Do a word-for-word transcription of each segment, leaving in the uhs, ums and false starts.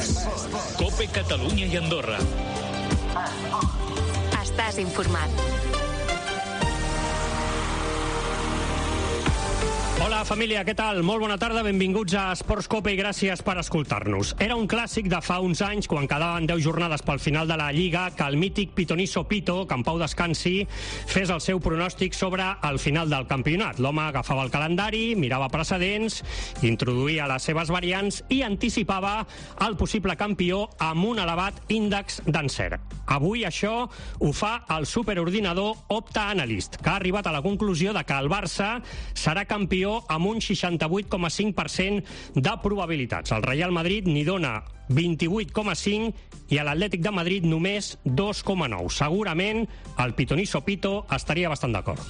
Esports. COPE Catalunya i Andorra. Estàs informat. Hola família, què tal? Molt bona tarda, benvinguts a Esports Cope i gràcies per escoltar-nos. Era un clàssic de fa uns anys, quan quedaven deu jornades pel final de la Lliga, que el mític Pitoniso Pito, que en pau descansi, fes el seu pronòstic sobre el final del campionat. L'home agafava el calendari, mirava precedents, introduïa les seves variants i anticipava el possible campió amb un elevat índex d'encert. Avui això ho fa el superordinador Opta Analyst, que ha arribat a la conclusió de que el Barça serà campió amb un seixanta-vuit coma cinc per cent de probabilitats. El Real Madrid n'hi dona vint-i-vuit coma cinc i a l'Atlètic de Madrid només dos coma nou. Segurament el Pitoniso Pito estaria bastant d'acord.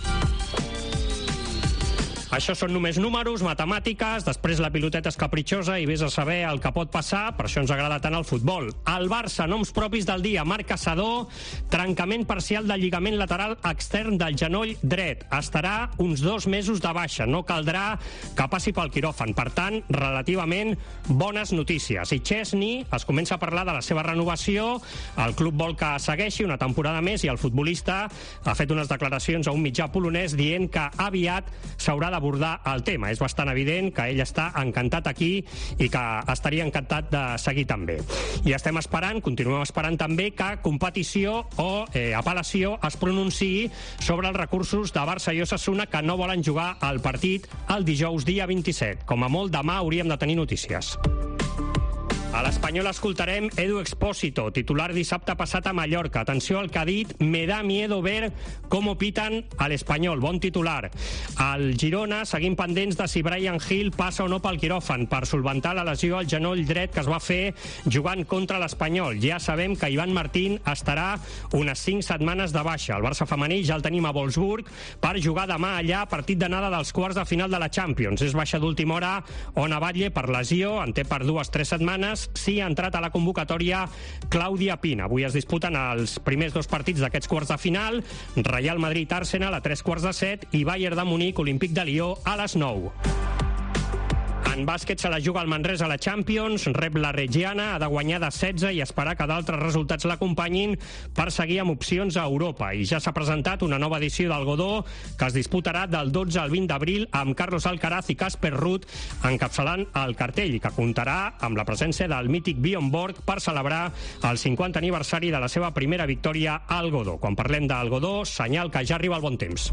Això són només números, matemàtiques, després la piloteta és capritxosa i vés a saber el que pot passar, per això ens agrada tant el futbol. El Barça, noms propis del dia, Marc Caçador, trencament parcial del lligament lateral extern del genoll dret. Estarà uns dos mesos de baixa, no caldrà que passi pel quiròfan. Per tant, relativament bones notícies. I Chesney es comença a parlar de la seva renovació, el club vol que segueixi una temporada més i el futbolista ha fet unes declaracions a un mitjà polonès dient que aviat s'haurà d'abordar el tema. És bastant evident que ell està encantat aquí i que estaria encantat de seguir també. I estem esperant, continuem esperant també que competició o eh, apel·lació es pronunciï sobre els recursos de Barça i Osasuna que no volen jugar al partit el dijous dia vint-i-set. Com a molt demà hauríem de tenir notícies. A l'Espanyol escoltarem Edu Expósito, titular dissabte passat a Mallorca. Atenció al que ha dit, me da miedo ver cómo pitan a l'Espanyol. Bon titular. Al Girona seguim pendents de si Bryan Gil passa o no pel quiròfan per solventar la lesió al genoll dret que es va fer jugant contra l'Espanyol. Ja sabem que Ivan Martín estarà unes cinc setmanes de baixa. El Barça femení ja el tenim a Wolfsburg per jugar demà allà, partit d'anada dels quarts de final de la Champions. És baixa d'última hora Ona Batlle per lesió, en té per dues tres setmanes. Sí ha entrat a la convocatòria Clàudia Pina. Avui es disputen els primers dos partits d'aquests quarts de final, Real Madrid-Arsenal a tres quarts de set i Bayern de Munic, Olímpic de Lió a les nou. En bàsquet se la juga el Manresa a la Champions, rep la Reggiana, ha de guanyar de setze i esperar que d'altres resultats l'acompanyin per seguir amb opcions a Europa. I ja s'ha presentat una nova edició del Godó que es disputarà del dotze al vint d'abril amb Carlos Alcaraz i Casper Ruud encapçalant el cartell i que comptarà amb la presència del mític Bjorn Borg per celebrar el cinquanta aniversari de la seva primera victòria al Godó. Quan parlem del Godó, senyal que ja arriba el bon temps.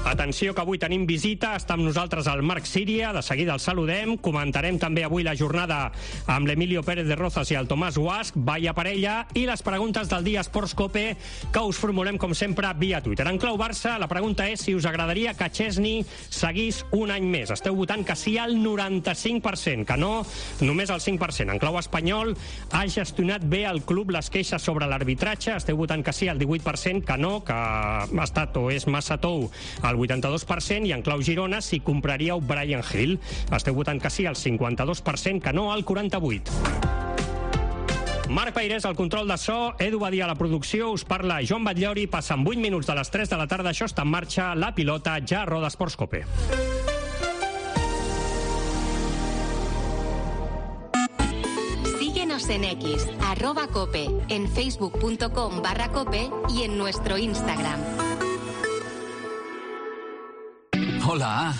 Atenció que avui tenim visita, està amb nosaltres el Marc Síria, de seguida el saludem, comentarem també avui la jornada amb l'Emilio Pérez de Rozas i el Tomàs Guasch, vaya parella, i les preguntes del dia Esports Cope que us formulem com sempre via Twitter. En clau Barça, la pregunta és si us agradaria que Chesney seguís un any més. Esteu votant que sí al noranta-cinc per cent, que no només el cinc per cent. En clau espanyol, ha gestionat bé el club les queixes sobre l'arbitratge, esteu votant que sí al divuit per cent, que no, que ha estat o és massa tou el vuitanta-dos per cent, i en clau Girona si compraríeu Bryan Gil. Esteu votant que sí al cinquanta-dos per cent, que no al quaranta-vuit per cent. Marc Peirés al control de so, Edu Badia a la producció, us parla Joan Batllori, passen vuit minuts de les tres de la tarda, això està en marxa, la pilota ja roda Esports Cope. Síguenos en X, arroba cope, en facebook.com barra cope y en nuestro Instagram. Hola.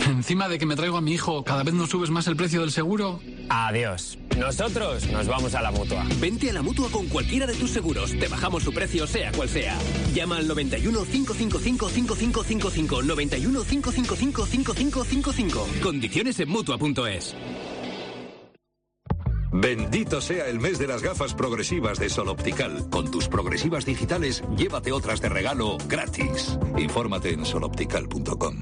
Encima de que me traigo a mi hijo, ¿cada vez nos subes más el precio del seguro? Adiós. Nosotros nos vamos a la Mutua. Vente a la Mutua con cualquiera de tus seguros. Te bajamos su precio, sea cual sea. Llama al noventa y uno, cinco cinco cinco, cinco cinco cinco cinco. noventa y uno, cinco cinco cinco, cinco cinco cinco cinco. Condiciones en Mutua punto es. Bendito sea el mes de las gafas progresivas de Sol Optical. Con tus progresivas digitales, llévate otras de regalo gratis. Infórmate en sol optical punto com.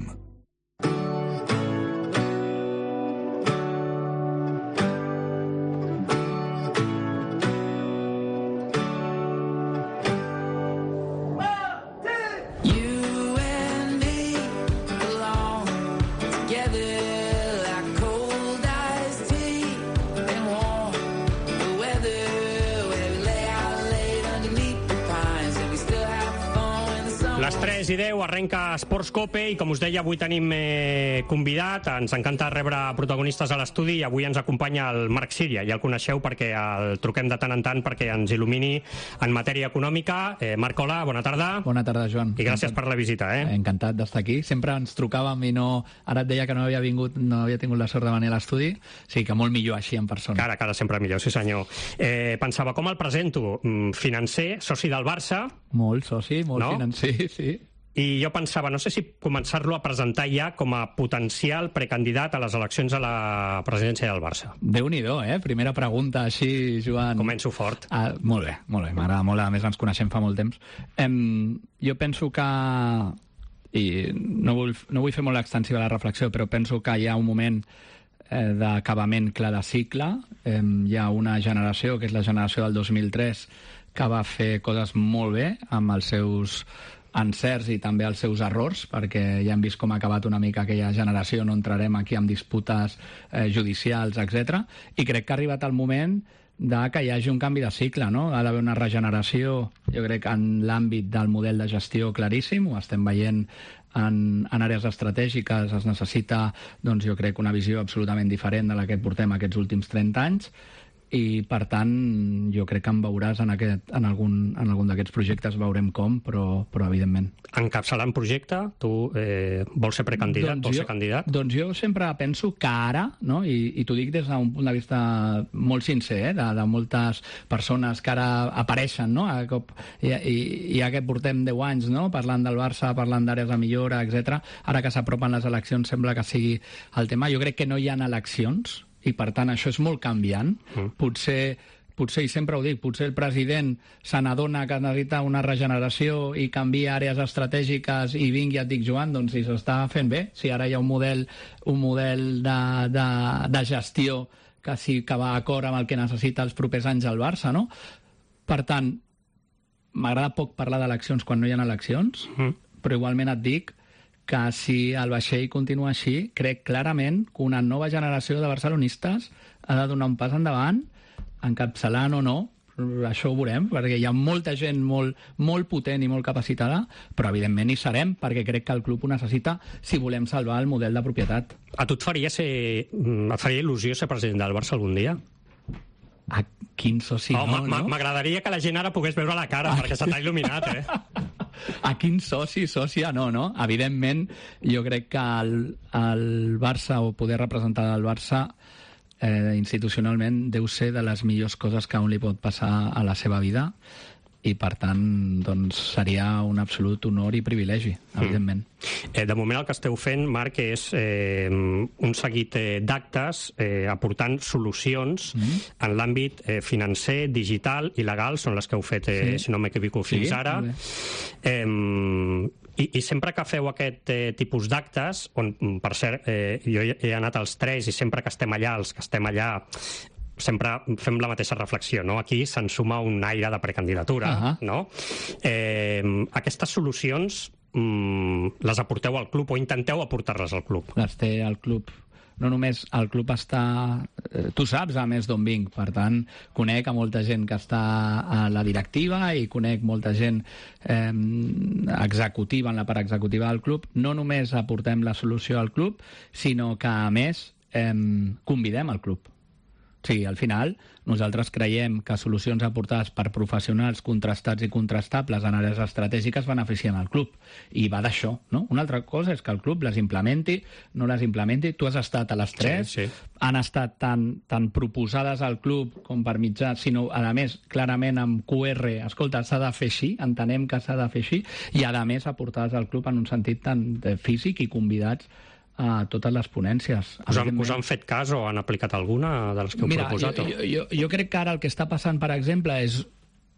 tres i deu arrenca Esports Cope i, com us deia, avui tenim eh, convidat. Ens encanta rebre protagonistes a l'estudi i avui ens acompanya el Marc Síria. Ja el coneixeu perquè el truquem de tant en tant perquè ens il·lumini en matèria econòmica. Eh, Marc, hola, bona tarda. Bona tarda, Joan. I gràcies per la visita. Eh? Encantat d'estar aquí. Sempre ens trucàvem i no... Ara et deia que no havia vingut, no havia tingut la sort de venir a l'estudi. Sí, que molt millor així en persona. Cara, cara, sempre millor, sí senyor. Eh, pensava, com el presento? Financer, soci del Barça. Molt soci, molt no? financer, sí. I jo pensava, no sé si començar-lo a presentar ja com a potencial precandidat a les eleccions a la presidència del Barça. Déu-n'hi-do, eh? Primera pregunta, així, Joan. Començo fort. Ah, molt bé, molt bé, m'agrada molt, a més ens coneixem fa molt temps. Em, jo penso que, i no vull, no vull fer molt extensiva la reflexió, però penso que hi ha un moment eh, d'acabament clar de cicle. Eh, hi ha una generació, que és la generació del dos mil tres, que va fer coses molt bé amb els seus encerts i també els seus errors, perquè ja hem vist com ha acabat una mica aquella generació, no entrarem aquí amb disputes eh, judicials, etcètera. I crec que ha arribat el moment de que hi hagi un canvi de cicle, no? Ha d'haver una regeneració, jo crec, en l'àmbit del model de gestió claríssim, ho estem veient en, en àrees estratègiques, es necessita, doncs jo crec, una visió absolutament diferent de la que portem aquests últims trenta anys, i per tant jo crec que em veuràs en, aquest, en algun, en algun d'aquests projectes, veurem com, però, però evidentment. Encapçalant projecte, tu eh, vols ser precandidat, doncs vols jo, ser candidat? Doncs jo sempre penso que ara, no? I, i t'ho dic des d'un punt de vista molt sincer, eh? de, de moltes persones que ara apareixen, no? A cop, i, i, i ja que portem deu anys, no? Parlant del Barça, parlant d'àrees de millora, etcètera. Ara que s'apropen les eleccions sembla que sigui el tema. Jo crec que no hi ha eleccions, i per tant això és molt canviant. Mm. Potser, potser, i sempre ho dic, potser el president se n'adona que necessita una regeneració i canvia àrees estratègiques i vingui, ja et dic, Joan, doncs si s'està fent bé, si ara hi ha un model, un model de, de, de gestió que sí que va d'acord amb el que necessita els propers anys al Barça, no? Per tant, m'agrada poc parlar d'eleccions quan no hi ha eleccions, mm. però igualment et dic que si el vaixell continua així, crec clarament que una nova generació de barcelonistes ha de donar un pas endavant, encapçalant o no, això ho veurem, perquè hi ha molta gent molt, molt potent i molt capacitada, però evidentment hi serem, perquè crec que el club ho necessita si volem salvar el model de propietat. A tu et faria, ser, et faria il·lusió ser president del Barça algun dia? A quin soci oh, no, no? M'agradaria que la gent ara pogués veure la cara, ah, perquè se t'ha il·luminat, eh? A quin soci, sòcia, no, no? Evidentment, jo crec que el, el Barça, o poder representar el Barça eh, institucionalment, deu ser de les millors coses que a un li pot passar a la seva vida, i per tant doncs, seria un absolut honor i privilegi, evidentment. Mm. Eh, de moment el que esteu fent, Marc, és eh, un seguit eh, d'actes eh, aportant solucions mm. en l'àmbit eh, financer, digital i legal, són les que heu fet, eh, sí. si no m'equivoco, fins sí, ara. Eh, i, I sempre que feu aquest eh, tipus d'actes, on, per cert, eh, jo he anat als tres i sempre que estem allà, els que estem allà, sempre fem la mateixa reflexió, no? Aquí se'n suma un aire de precandidatura, uh-huh. no? Eh, aquestes solucions mm, les aporteu al club o intenteu aportar-les al club? Les té al club. No només el club està... Eh, tu saps, a més, d'on vinc. Per tant, conec a molta gent que està a la directiva i conec molta gent eh, executiva, en la part executiva del club. No només aportem la solució al club, sinó que, a més, eh, convidem al club. Sí, al final nosaltres creiem que solucions aportades per professionals contrastats i contrastables en àrees estratègiques beneficien al club. I va d'això, no? Una altra cosa és que el club les implementi, no les implementi. Tu has estat a les tres, sí, sí. Han estat tan, tan proposades al club com per mitjà, sinó, a més, clarament amb Q R, escolta, s'ha de fer així, entenem que s'ha de fer així, i a més aportades al club en un sentit tan físic i convidats a totes les ponències. Us han, us han fet cas o han aplicat alguna de les que heu Mira, proposat? Jo, jo, jo crec que ara el que està passant, per exemple, és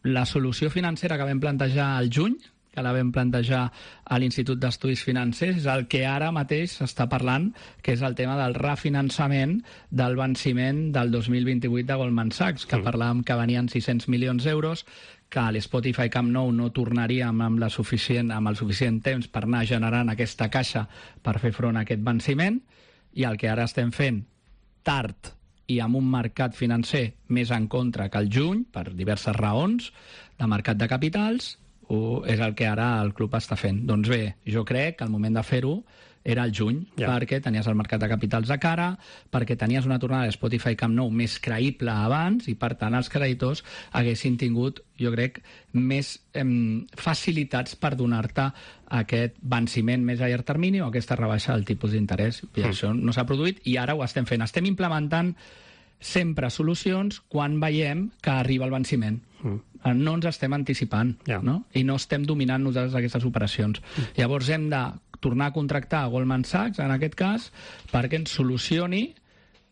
la solució financera que vam plantejar al juny, que la vam plantejar a l'Institut d'Estudis Financers, és el que ara mateix s'està parlant, que és el tema del refinançament del venciment del dos mil vint-i-vuit de Goldman Sachs, que mm. parlàvem que venien sis-cents milions d'euros, que l'Spotify Camp Nou no tornaria amb, la suficient, amb el suficient temps per anar generant aquesta caixa per fer front a aquest venciment, i el que ara estem fent tard i amb un mercat financer més en contra que el juny, per diverses raons, de mercat de capitals, és el que ara el club està fent. Doncs bé, jo crec que el moment de fer-ho era el juny, ja. perquè tenies el mercat de capitals de cara, perquè tenies una tornada de Spotify Camp Nou més creïble abans i, per tant, els creditors haguessin tingut, jo crec, més eh, facilitats per donar-te aquest venciment més a llarg termini o aquesta rebaixa del tipus d'interès. I mm. això no s'ha produït i ara ho estem fent. Estem implementant sempre solucions quan veiem que arriba el venciment. Mm. No ens estem anticipant, yeah. no? I no estem dominant nosaltres aquestes operacions. Mm. Llavors hem de tornar a contractar a Goldman Sachs, en aquest cas, perquè ens solucioni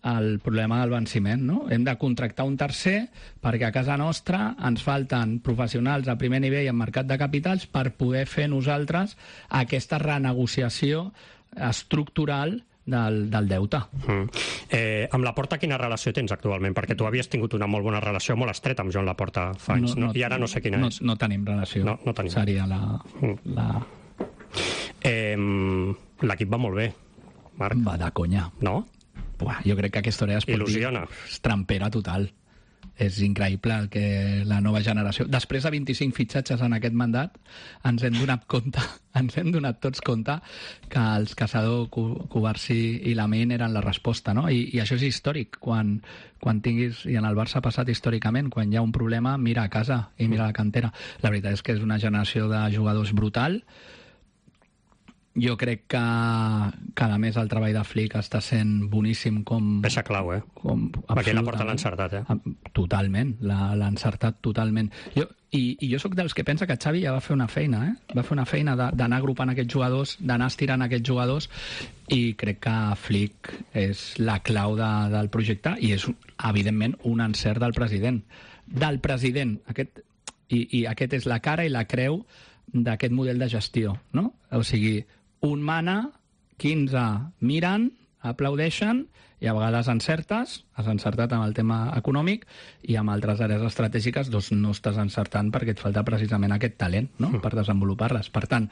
el problema del venciment, no? Hem de contractar un tercer perquè a casa nostra ens falten professionals a primer nivell en mercat de capitals per poder fer nosaltres aquesta renegociació estructural del, del deute. Mm. Eh, amb Laporta quina relació tens actualment? Perquè tu havies tingut una molt bona relació, molt estreta amb Joan Laporta fa anys, no, no, no? I ara no sé quina no, és. No tenim relació. No, no tenim. Seria la... Mm. la... Eh, l'equip va molt bé, Marc. Va de conya. No? Buah, jo crec que aquesta hora esportiva il·lusiona. És trampera total. És increïble el que la nova generació... Després de vint-i-cinc fitxatges en aquest mandat, ens hem donat compte, ens hem donat tots compte que els Caçador, Cubarsí i Lamine eren la resposta, no? I, i això és històric. Quan, quan tinguis, i en el Barça ha passat històricament, quan hi ha un problema, mira a casa i mira a la cantera. La veritat és que és una generació de jugadors brutal. Jo crec que cada mes el treball de Flick està sent boníssim com... Peça clau, eh? Com, perquè la porta l'ha encertat, eh? Totalment, l'ha encertat totalment. Jo, i, I jo sóc dels que pensa que Xavi ja va fer una feina, eh? Va fer una feina d'anar agrupant aquests jugadors, d'anar estirant aquests jugadors, i crec que Flick és la clau de, del projecte i és, evidentment, un encert del president. Del president, aquest, i, i aquest és la cara i la creu d'aquest model de gestió, no? O sigui, un mana, quinze miren, aplaudeixen i a vegades encertes, has encertat amb el tema econòmic i amb altres àrees estratègiques doncs no estàs encertant perquè et falta precisament aquest talent, no?, per desenvolupar-les. Per tant,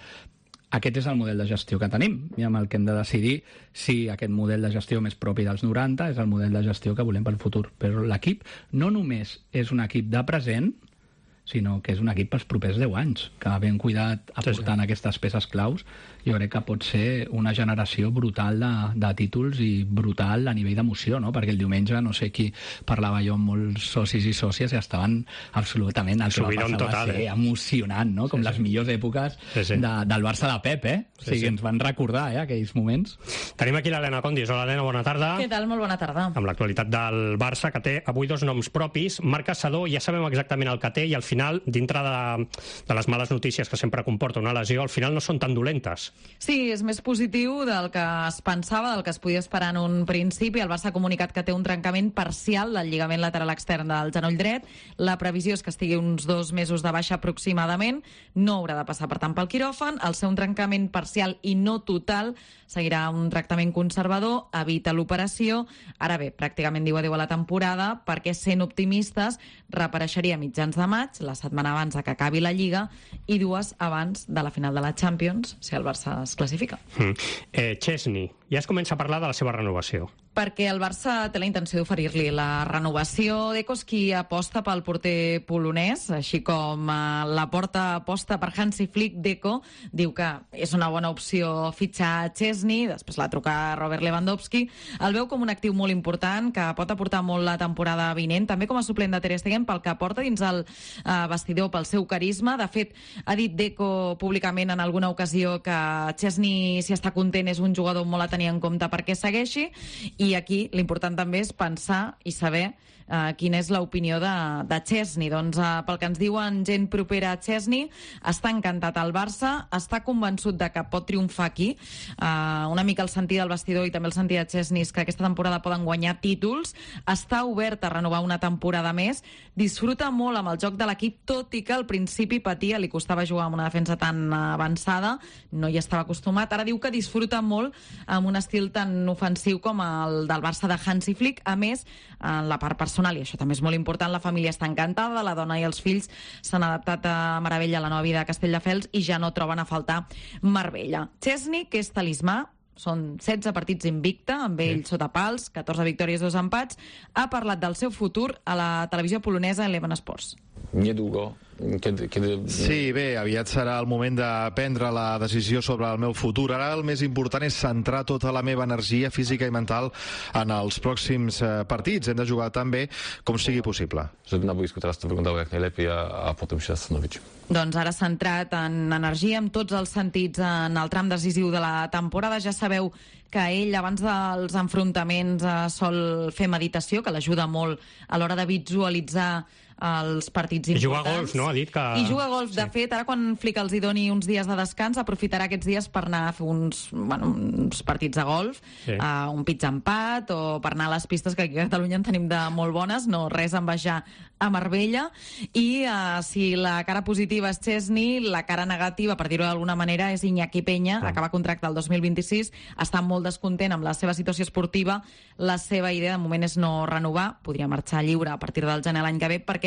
aquest és el model de gestió que tenim i amb el que hem de decidir si aquest model de gestió més propi dels noranta és el model de gestió que volem pel futur. Però l'equip no només és un equip de present, sinó que és un equip pels propers deu anys, que ben cuidat aportant sí, sí. aquestes peces claus, jo crec que pot ser una generació brutal de, de títols i brutal a nivell d'emoció, no? Perquè el diumenge, no sé qui parlava jo amb molts socis i sòcies i estaven absolutament... El que va passar total, va ser eh? emocionant, no? Com sí, les sí. millors èpoques sí, sí. De, del Barça de Pep, eh? Sí, o sigui, sí. ens van recordar, eh, aquells moments. Tenim aquí l'Helena Condis. Hola, Helena, bona tarda. Què tal? Molt bona tarda. Amb l'actualitat del Barça, que té avui dos noms propis. Marc Caçador, ja sabem exactament el que té i al final, dintre de, de les males notícies que sempre comporta una lesió, al final no són tan dolentes. Sí, és més positiu del que es pensava, del que es podia esperar en un principi. El Barça ha comunicat que té un trencament parcial del lligament lateral extern del genoll dret. La previsió és que estigui uns dos mesos de baixa aproximadament. No haurà de passar, per tant, pel quiròfan. Al ser un trencament parcial i no total, seguirà un tractament conservador, evita l'operació. Ara bé, pràcticament diu adéu a la temporada, perquè, sent optimistes, reapareixeria a mitjans de maig, la setmana abans que acabi la Lliga, i dues abans de la final de la Champions, si el Barça es classifica. Mm. Eh, Chesney, ja es comença a parlar de la seva renovació. Perquè el Barça té la intenció d'oferir-li la renovació. Deco és qui aposta pel porter polonès, així com eh, la porta aposta per Hansi Flick. Deco diu que és una bona opció fitxar Chesney, després la truca Robert Lewandowski. El veu com un actiu molt important, que pot aportar molt la temporada vinent, també com a suplent de Ter Stegen, pel que aporta dins el eh, vestidor, pel seu carisma. De fet, ha dit Deco públicament en alguna ocasió que Chesney, si està content, és un jugador molt a tenir en compte perquè segueixi, i aquí l'important també és pensar i saber Uh, quina és l'opinió de, de Chesney. Doncs uh, pel que ens diuen gent propera a Chesney, està encantat al Barça, està convençut de que pot triomfar aquí. Uh, una mica el sentit del vestidor i també el sentit de Chesney és que aquesta temporada poden guanyar títols, està obert a renovar una temporada més, disfruta molt amb el joc de l'equip, tot i que al principi patia, li costava jugar amb una defensa tan avançada, no hi estava acostumat. Ara diu que disfruta molt amb un estil tan ofensiu com el del Barça de Hansi Flick. A més, en la part personal, i això també és molt important, la família està encantada, la dona i els fills s'han adaptat a meravella a la nova vida a Castelldefels i ja no troben a faltar Marbella. Chesney, que és talismà, són setze partits invicta, amb ell sí. sota pals, catorze victòries, dos empats, ha parlat del seu futur a la televisió polonesa Eleven Sports. Niedługo. Kiedy, kiedy... Sí, bé, aviat serà el moment de prendre la decisió sobre el meu futur. Ara el més important és centrar tota la meva energia física i mental en els pròxims eh, partits. Hem de jugar tan bé com sigui possible. Żeby na boisku teraz to wyglądało jak najlepiej, a, a potem się zastanowić. Doncs ara centrat en energia, en tots els sentits, en el tram decisiu de la temporada. Ja sabeu que ell, abans dels enfrontaments, eh, sol fer meditació, que l'ajuda molt a l'hora de visualitzar els partits importants. I juga a golf, no? Ha dit que... I juga a golf. De sí. fet, ara quan Flick els hi doni uns dies de descans, aprofitarà aquests dies per anar a fer uns, bueno, uns partits de golf, sí. uh, un pitch empat, o per anar a les pistes, que aquí a Catalunya en tenim de molt bones, no res en baixar a Marbella. I uh, si la cara positiva és Chesney, la cara negativa, per dir-ho d'alguna manera, és Iñaki Peña, sí. acaba contracte el dos mil vint-i-sis, està molt descontent amb la seva situació esportiva, la seva idea de moment és no renovar, podria marxar lliure a partir del gener l'any que ve, perquè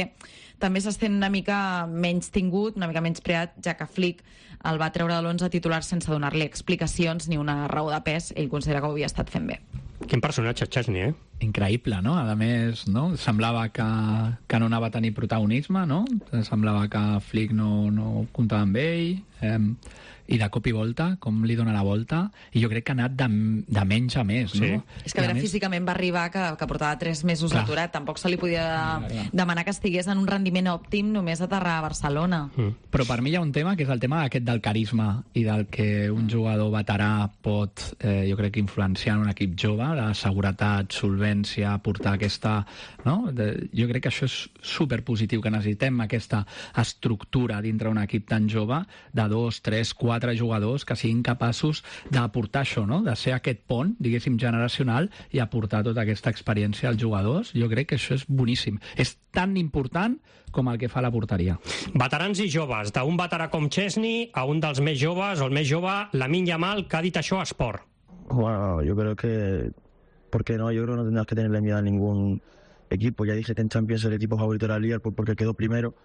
també s'estén una mica menys tingut, una mica menys preat, ja que Flick el va treure de l'onze titular sense donar-li explicacions ni una raó de pes. Ell considera que ho havia estat fent bé. Quin personatge, Chesney, eh? Increïble, no? A més, no? Semblava que, que no anava a tenir protagonisme, no? Semblava que Flick no, no comptava amb ell, eh, i de cop i volta, com li dona la volta, i jo crec que ha anat de, de menys a més, sí. no? És que a veure, més... físicament va arribar que, que portava tres mesos clar. aturat, tampoc se li podia clar, clar. demanar que estigués en un rendiment òptim només aterrar a Barcelona. Mm. Però per mi hi ha un tema que és el tema aquest del carisma i del que un jugador veterà pot, eh, jo crec, influenciar en un equip jove, la seguretat, solvència, portar aquesta... No? De, jo crec que això és superpositiu, que necessitem aquesta estructura dintre un equip tan jove de dos, tres, quatre jugadors que siguin capaços d'aportar això, no? De ser aquest pont, diguéssim, generacional i aportar tota aquesta experiència als jugadors. Jo crec que això és boníssim. És tan important com el que fa la porteria. Veterans i joves, d'un veterà com Chesney a un dels més joves, o el més jove, Lamine Yamal, que ha dit això a Sport. Bueno, yo creo que... ¿Por qué no? Yo creo que no tendrás que tenerle miedo a ningún equipo. Ya dije que en Champions el equipo favorito era el Liverpool porque quedó primero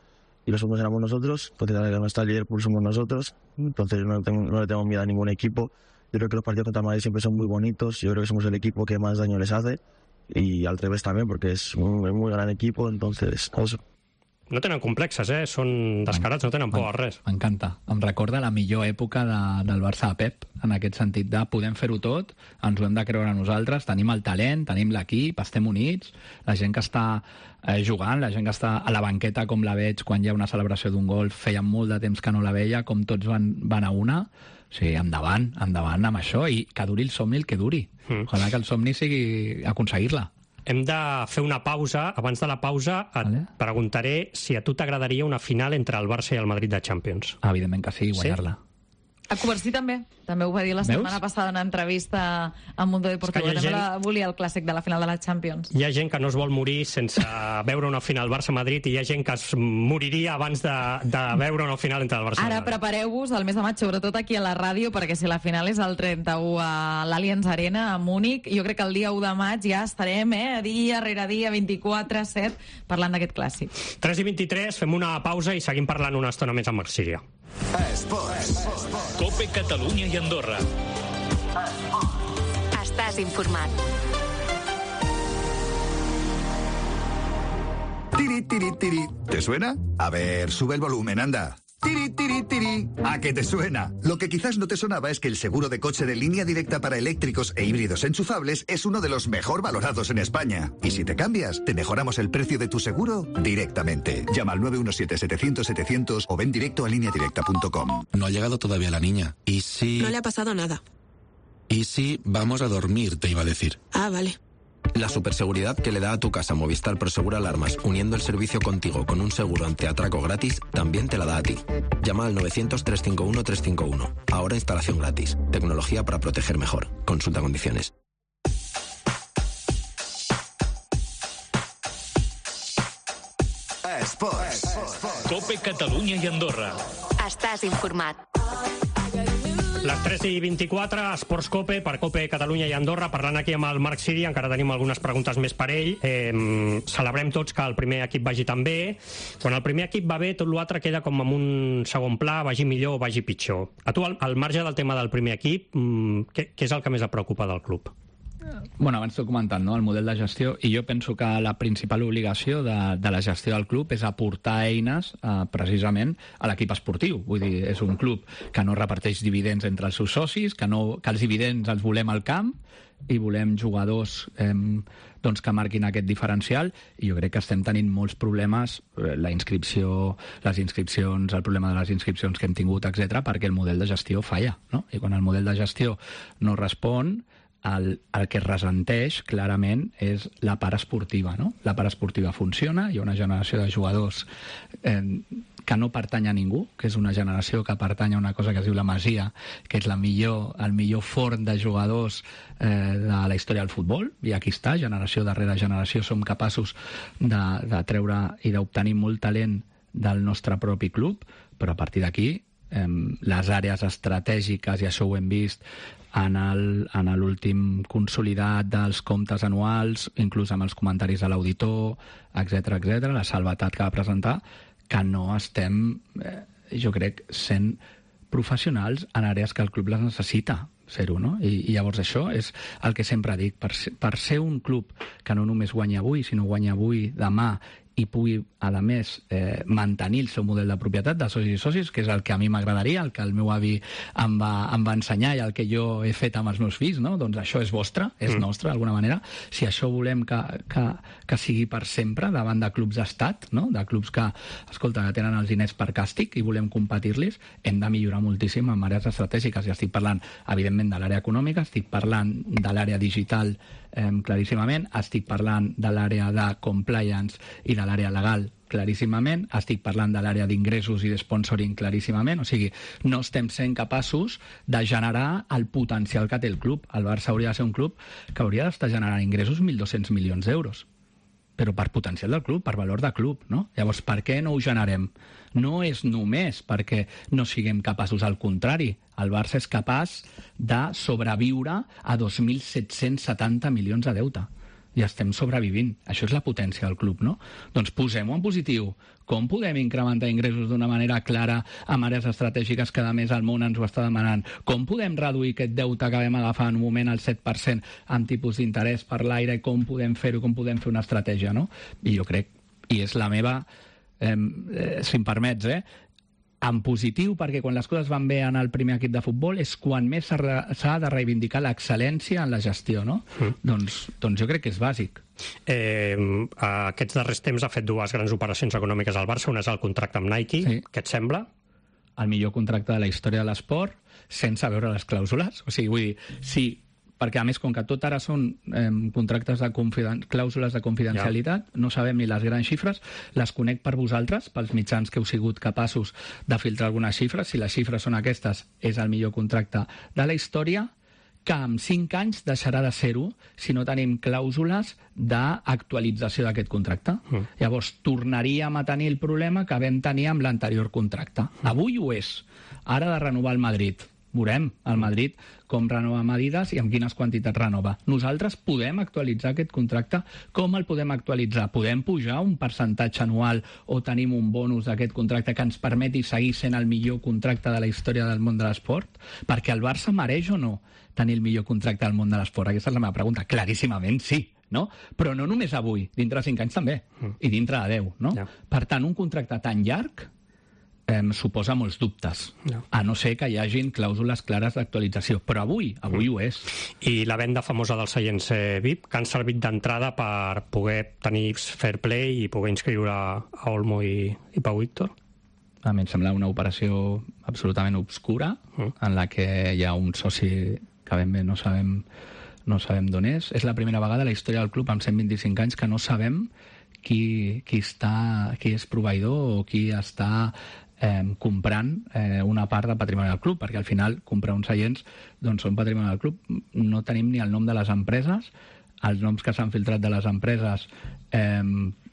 y los segundos éramos nosotros. Entonces, ahora que no está el Liverpool, somos nosotros. Entonces, no, tengo, no le tengo miedo a ningún equipo. Yo creo que los partidos contra Madrid siempre son muy bonitos. Yo creo que somos el equipo que más daño les hace. Y al revés también, porque es un, un muy gran equipo. Entonces, eso. No tenen complexes, eh? Són descarats, no tenen por a res. M'encanta. Em recorda la millor època de, del Barça de Pep, en aquest sentit de podem fer-ho tot, ens ho hem de creure nosaltres, tenim el talent, tenim l'equip, estem units, la gent que està eh, jugant, la gent que està a la banqueta, com la veig quan hi ha una celebració d'un gol, feia molt de temps que no la veia, com tots van, van a una. O sigui, endavant, endavant amb això, i que duri el somni el que duri. Mm. Ojalà que el somni sigui aconseguir-la. Hem de fer una pausa. Abans de la pausa et vale. preguntaré si a tu t'agradaria una final entre el Barça i el Madrid de Champions. Evidentment que sí, guanyar-la. Sí? A Covarsí també. També ho va dir la setmana Veus? passada en una entrevista a Mundo Deportivo. També gent... la volia el clàssic de la final de la Champions. Hi ha gent que no es vol morir sense veure una final Barça-Madrid i hi ha gent que es moriria abans de, de veure una final entre el Barça i el Madrid. Ara prepareu-vos al mes de maig, sobretot aquí a la ràdio, perquè si la final és el trenta-u a l'Allianz Arena, a Múnich, jo crec que el dia u de maig ja estarem, eh, dia rere dia, vint-i-quatre set, parlant d'aquest clàssic. tres i vint-i-tres, fem una pausa i seguim parlant una estona més amb Marc Síria. Esports. Cope Catalunya i Andorra. Estàs informat. Tiri, tiri, tiri. ¿Te suena? A ver, sube el volumen, anda. Tiri, tiri, tiri. ¿A qué te suena? Lo que quizás no te sonaba es que el seguro de coche de Línea Directa para eléctricos e híbridos enchufables es uno de los mejor valorados en España. Y si te cambias, te mejoramos el precio de tu seguro directamente. Llama al nueve uno siete, setecientos, setecientos o ven directo a línea directa punto com. No ha llegado todavía la niña. ¿Y si...? No le ha pasado nada. ¿Y si vamos a dormir, te iba a decir? Ah, vale. La superseguridad que le da a tu casa Movistar Prosegur Alarmas, uniendo el servicio contigo con un seguro antiatraco gratis, también te la da a ti. Llama al novecientos, trescientos cincuenta y uno, trescientos cincuenta y uno. Ahora instalación gratis. Tecnología para proteger mejor. Consulta condiciones. Esports. Cope Catalunya i Andorra. Estàs informat. Les tres i vint-i-quatre, Esports Cope, per Cope Catalunya i Andorra, parlant aquí amb el Marc Siri, encara tenim algunes preguntes més per ell. Eh, celebrem tots que el primer equip vagi tan bé. Quan el primer equip va bé, tot l'altre queda com en un segon pla, vagi millor o vagi pitjor. A tu, al, al marge del tema del primer equip, què, què és el que més et preocupa del club? Bueno, abans t'ho he comentat, no? El model de gestió, i jo penso que la principal obligació de, de la gestió del club és aportar eines eh, precisament a l'equip esportiu. Vull dir, és un club que no reparteix dividends entre els seus socis, que, no, que els dividends els volem al camp i volem jugadors eh, doncs que marquin aquest diferencial, i jo crec que estem tenint molts problemes, la inscripció, les inscripcions, el problema de les inscripcions que hem tingut, etcètera, perquè el model de gestió falla, no? I quan el model de gestió no respon, el, el que es ressenteix clarament és la part esportiva, no? La part esportiva funciona, hi ha una generació de jugadors eh, que no pertany a ningú, que és una generació que pertany a una cosa que es diu la Masia, que és la millor, el millor forn de jugadors eh, de la història del futbol, i aquí està, generació darrere generació, som capaços de, de treure i d'obtenir molt talent del nostre propi club, però a partir d'aquí eh, les àrees estratègiques, i això ho hem vist en l'últim consolidat dels comptes anuals, inclús amb els comentaris de l'auditor, etcètera, etcètera, la salvetat que va presentar, que no estem, eh, jo crec, sent professionals en àrees que el club les necessita ser-ho, no? I, i llavors això és el que sempre dic, per ser, per ser un club que no només guanya avui, sinó guanya avui, demà, i pugui, a més, eh, mantenir el seu model de propietat de socis i socis, que és el que a mi m'agradaria, el que el meu avi em va, em va ensenyar i el que jo he fet amb els meus fills, no? Doncs això és vostre, és mm. nostre, d'alguna manera. Si això volem que, que, que sigui per sempre davant de clubs d'estat, no? De clubs que, escolta, que tenen els diners per càstig i volem competir-los, hem de millorar moltíssim en àrees estratègiques. I estic parlant, evidentment, de l'àrea econòmica, estic parlant de l'àrea digital, eh, claríssimament, estic parlant de l'àrea de compliance i de l'àrea legal claríssimament, estic parlant de l'àrea d'ingressos i de sponsoring claríssimament, o sigui, no estem sent capaços de generar el potencial que té el club. El Barça hauria de ser un club que hauria d'estar generant ingressos mil dos-cents milions d'euros, però per potencial del club, per valor de club, no? Llavors, per què no ho generem? No és només perquè no siguem capaços, al contrari, el Barça és capaç de sobreviure a dos mil set-cents setanta milions de deute. I estem sobrevivint. Això és la potència del club, no? Doncs posem-ho en positiu. Com podem incrementar ingressos d'una manera clara amb àrees estratègiques que, a més, el món ens ho està demanant? Com podem reduir aquest deute que vam agafar en un moment al set per cent amb tipus d'interès per l'aire? Com podem fer-ho? Com podem fer una estratègia, no? I jo crec, i és la meva, eh, eh, si em permets, eh, en positiu, perquè quan les coses van bé en el primer equip de futbol és quan més s'ha de reivindicar l'excel·lència en la gestió, no? Mm. Doncs, doncs jo crec que és bàsic. Eh, aquests darrers temps ha fet dues grans operacions econòmiques al Barça, una és el contracte amb Nike, sí. Què et sembla? El millor contracte de la història de l'esport, sense veure les clàusules. O sigui, vull dir, sí, perquè a més, com que tot ara són eh, contractes de confiden... clàusules de confidencialitat, ja. No sabem ni les grans xifres, les conec per vosaltres, pels mitjans que heu sigut capaços de filtrar algunes xifres. Si les xifres són aquestes, és el millor contracte de la història, que en cinc anys deixarà de ser-ho si no tenim clàusules d'actualització d'aquest contracte. Mm. Llavors, tornaríem a tenir el problema que vam tenir amb l'anterior contracte. Mm. Avui ho és. Ara de renovar el Madrid. Veurem el Madrid com renova Adidas i amb quines quantitats renova. Nosaltres podem actualitzar aquest contracte. Com el podem actualitzar? Podem pujar un percentatge anual o tenim un bonus d'aquest contracte que ens permeti seguir sent el millor contracte de la història del món de l'esport? Perquè el Barça mereix o no tenir el millor contracte del món de l'esport? Aquesta és la meva pregunta. Claríssimament sí. No? Però no només avui, dintre de cinc anys també, mm. i dintre de deu. No? Ja. Per tant, un contracte tan llarg Eh, suposa molts dubtes, no. A no ser que hi hagin clàusules clares d'actualització. Però avui, avui mm. ho és. I la venda famosa dels seients eh, V I P, que han servit d'entrada per poder tenir fair play i poder inscriure a Olmo i, i Pau Víctor? A mi em sembla una operació absolutament obscura, mm. en la que hi ha un soci que ben bé no sabem, no sabem d'on és. És la primera vegada a la història del club amb cent vint-i-cinc anys que no sabem qui, qui, està, qui és proveïdor o qui està Eh, comprant eh, una part del patrimoni del club, perquè al final comprar uns seients doncs són patrimoni del club. No tenim ni el nom de les empreses, els noms que s'han filtrat de les empreses eh,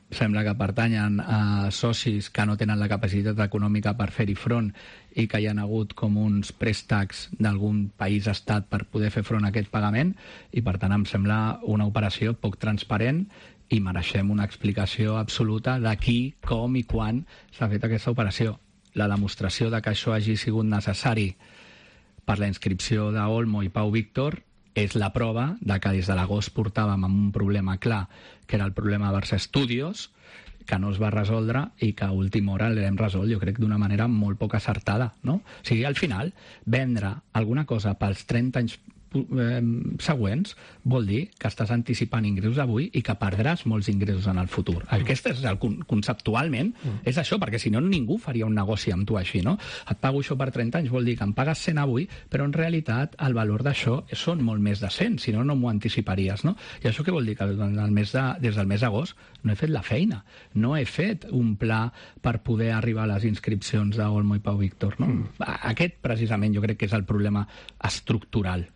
sembla que pertanyen a socis que no tenen la capacitat econòmica per fer-hi front i que hi ha hagut com uns préstecs d'algun país estat per poder fer front a aquest pagament, i per tant em sembla una operació poc transparent i mereixem una explicació absoluta de qui, com i quan s'ha fet aquesta operació. La demostració de que això hagi sigut necessari per la inscripció d'Olmo i Pau Víctor és la prova de que des de l'agost portàvem amb un problema clar, que era el problema Barça Studios, que no es va resoldre i que a última hora l'hem resolt, jo crec, d'una manera molt poc acertada, no? O sigui, al final, vendre alguna cosa pels trenta anys eh, següents vol dir que estàs anticipant ingressos avui i que perdràs molts ingressos en el futur. Aquest és el conceptualment, mm. és això, perquè si no ningú faria un negoci amb tu així, no? Et pago això per trenta anys, vol dir que em pagues cent avui, però en realitat el valor d'això són molt més de cent, si no, no m'ho anticiparies, no? I això què vol dir? Que el mes de, des del mes d'agost no he fet la feina, no he fet un pla per poder arribar a les inscripcions d'Olmo i Pau Víctor, no? Mm. Aquest, precisament, jo crec que és el problema estructural.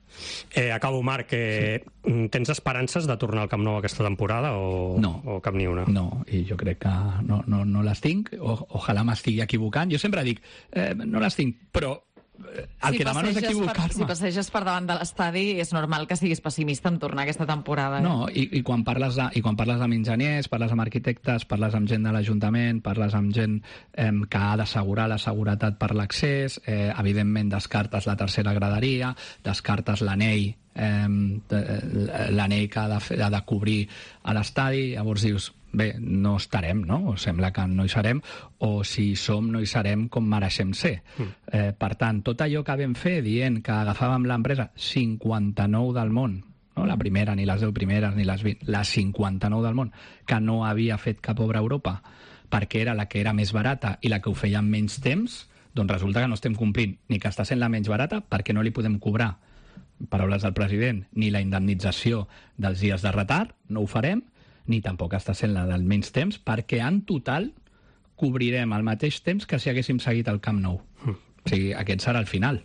Eh, acabo, Marc. Eh, sí. Tens esperances de tornar al Camp Nou aquesta temporada o, no. o cap ni una? No, i jo crec que no, no, no les tinc. O, ojalà m'estigui equivocant. Jo sempre dic, eh, no les tinc, però el si que demano és equivocar-me. Si passeges per davant de l'estadi, és normal que siguis pessimista en tornar aquesta temporada. Eh? No, i, i, quan parles de, i quan parles amb enginyers, parles amb arquitectes, parles amb gent de l'Ajuntament, parles amb gent eh, que ha d'assegurar la seguretat per l'accés, eh, evidentment descartes la tercera graderia, descartes l'anell, eh, l'anell que ha de, fer, ha de cobrir a l'estadi, llavors dius, bé, no estarem, no? O sembla que no hi serem, o si hi som, no hi serem com mereixem ser. Mm. Eh, per tant, tot allò que vam fer dient que agafàvem l'empresa cinquanta-nou del món, no la primera, ni les deu primeres, ni les vint, la cinquanta-nou del món, que no havia fet cap obra a Europa, perquè era la que era més barata i la que ho feia en menys temps, doncs resulta que no estem complint ni que està sent la menys barata perquè no li podem cobrar, paraules del president, ni la indemnització dels dies de retard, no ho farem, ni tampoc està sent la del menys temps, perquè en total cobrirem al mateix temps que si haguéssim seguit el Camp Nou. Mm. O sigui, aquest serà el final.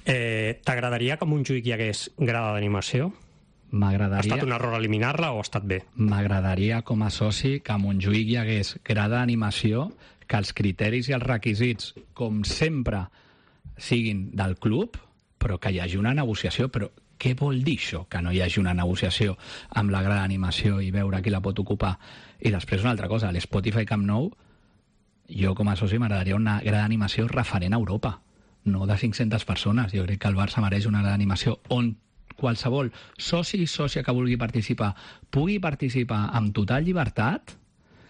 Eh, T'agradaria que a Montjuïc hi hagués grada d'animació? M'agradaria... Ha estat un error eliminar-la o ha estat bé? M'agradaria, com a soci, que a Montjuïc hi hagués grada d'animació, que els criteris i els requisits, com sempre, siguin del club, però que hi hagi una negociació. Però què vol dir això, que no hi hagi una negociació amb la grada d'animació i veure qui la pot ocupar? I després una altra cosa, a l'Spotify Camp Nou, jo com a soci m'agradaria una grada d'animació referent a Europa, no de cinc-centes persones. Jo crec que el Barça mereix una grada d'animació on qualsevol soci i sòcia que vulgui participar pugui participar amb total llibertat,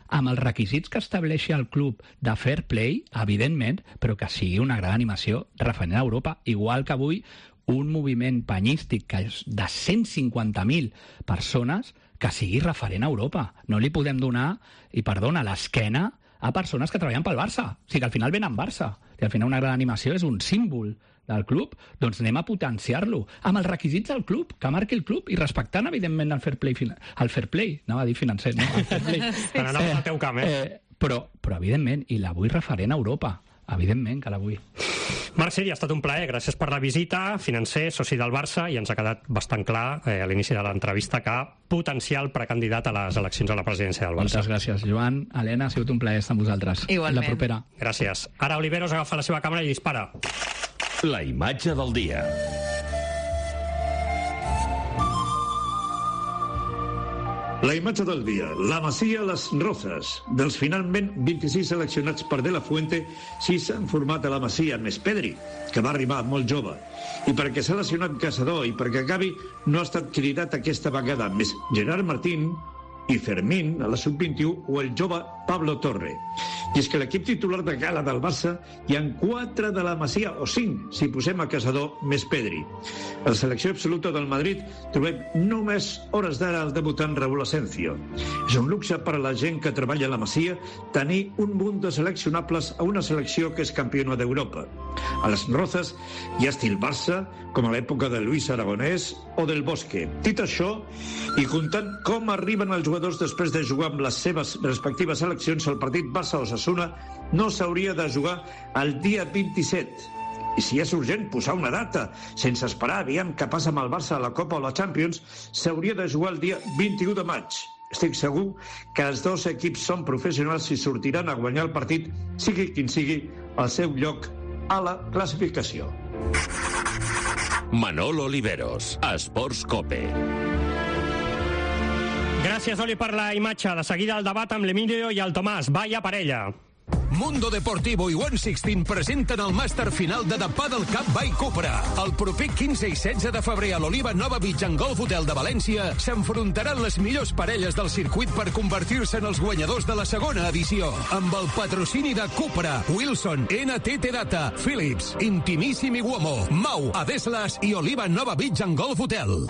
amb els requisits que estableixi el club de fair play, evidentment, però que sigui una grada d'animació referent a Europa, igual que avui un moviment penyístic que és de cent cinquanta mil persones que sigui referent a Europa. No li podem donar, i perdona, l'esquena a persones que treballen pel Barça. O sigui que al final venen Barça. I al final una gran animació és un símbol del club, doncs anem a potenciar-lo amb els requisits del club, que marqui el club i respectant, evidentment, el fair play, el fair play, anava a dir financer, no? El fair play. Sí, sí. Anava al teu camp, eh? eh però, però, evidentment, i la vull referent a Europa. Evidentment que la vull. Marc Siri, ha estat un plaer. Gràcies per la visita. Financer, soci del Barça, i ens ha quedat bastant clar eh, a l'inici de l'entrevista que potencial precandidat a les eleccions a la presidència del Barça. Moltes gràcies, Joan. Helena, ha sigut un plaer estar amb vosaltres. Igualment. La propera. Gràcies. Ara Oliveros agafa la seva càmera i dispara. La imatge del dia. La imatge del dia. La Masia Les Rozas. Dels finalment vint-i-sis seleccionats per De La Fuente, sis s'han format a la Masia, més Pedri, que va arribar molt jove. I perquè s'ha lesionat Caçador i perquè Gavi no ha estat cridat aquesta vegada, més Gerard Martín i Fermín a la sub vint-i-u o el jove Pablo Torre. I és que l'equip titular de gala del Barça hi ha quatre de la Masia, o cinc, si posem a Caçador més Pedri. A la selecció absoluta del Madrid trobem només hores d'ara el debutant Raúl Asencio. És un luxe per a la gent que treballa a la Masia tenir un munt de seleccionables a una selecció que és campiona d'Europa. A les Rozas hi ha estil Barça, com a l'època de Luis Aragonès o del Bosque. Dit això, i comptant com arriben els jugadors després de jugar amb les seves respectives seleccions, el partit Barça-Osasuna no s'hauria de jugar el dia vint-i-set. I si és urgent posar una data, sense esperar aviam què passa amb el Barça a la Copa o la Champions, s'hauria de jugar el dia vint-i-u de maig. Estic segur que els dos equips són professionals i sortiran a guanyar el partit, sigui quin sigui el seu lloc a la classificació. Manolo Oliveros, Esports Cope. Gràcies, Oli, per la imatge. De seguida el debat amb l'Emilio i el Tomàs. Vaya parella. Mundo Deportivo i One Sixteen presenten el màster final de The Paddle Cup by Cupra. El proper quinze i setze de febrer a l'Oliva Nova Beach en Golf Hotel de València s'enfrontaran les millors parelles del circuit per convertir-se en els guanyadors de la segona edició. Amb el patrocini de Cupra, Wilson, N T T Data, Philips, Intimissimi Uomo, Mau, Adeslas y Oliva Nova Beach en Golf Hotel.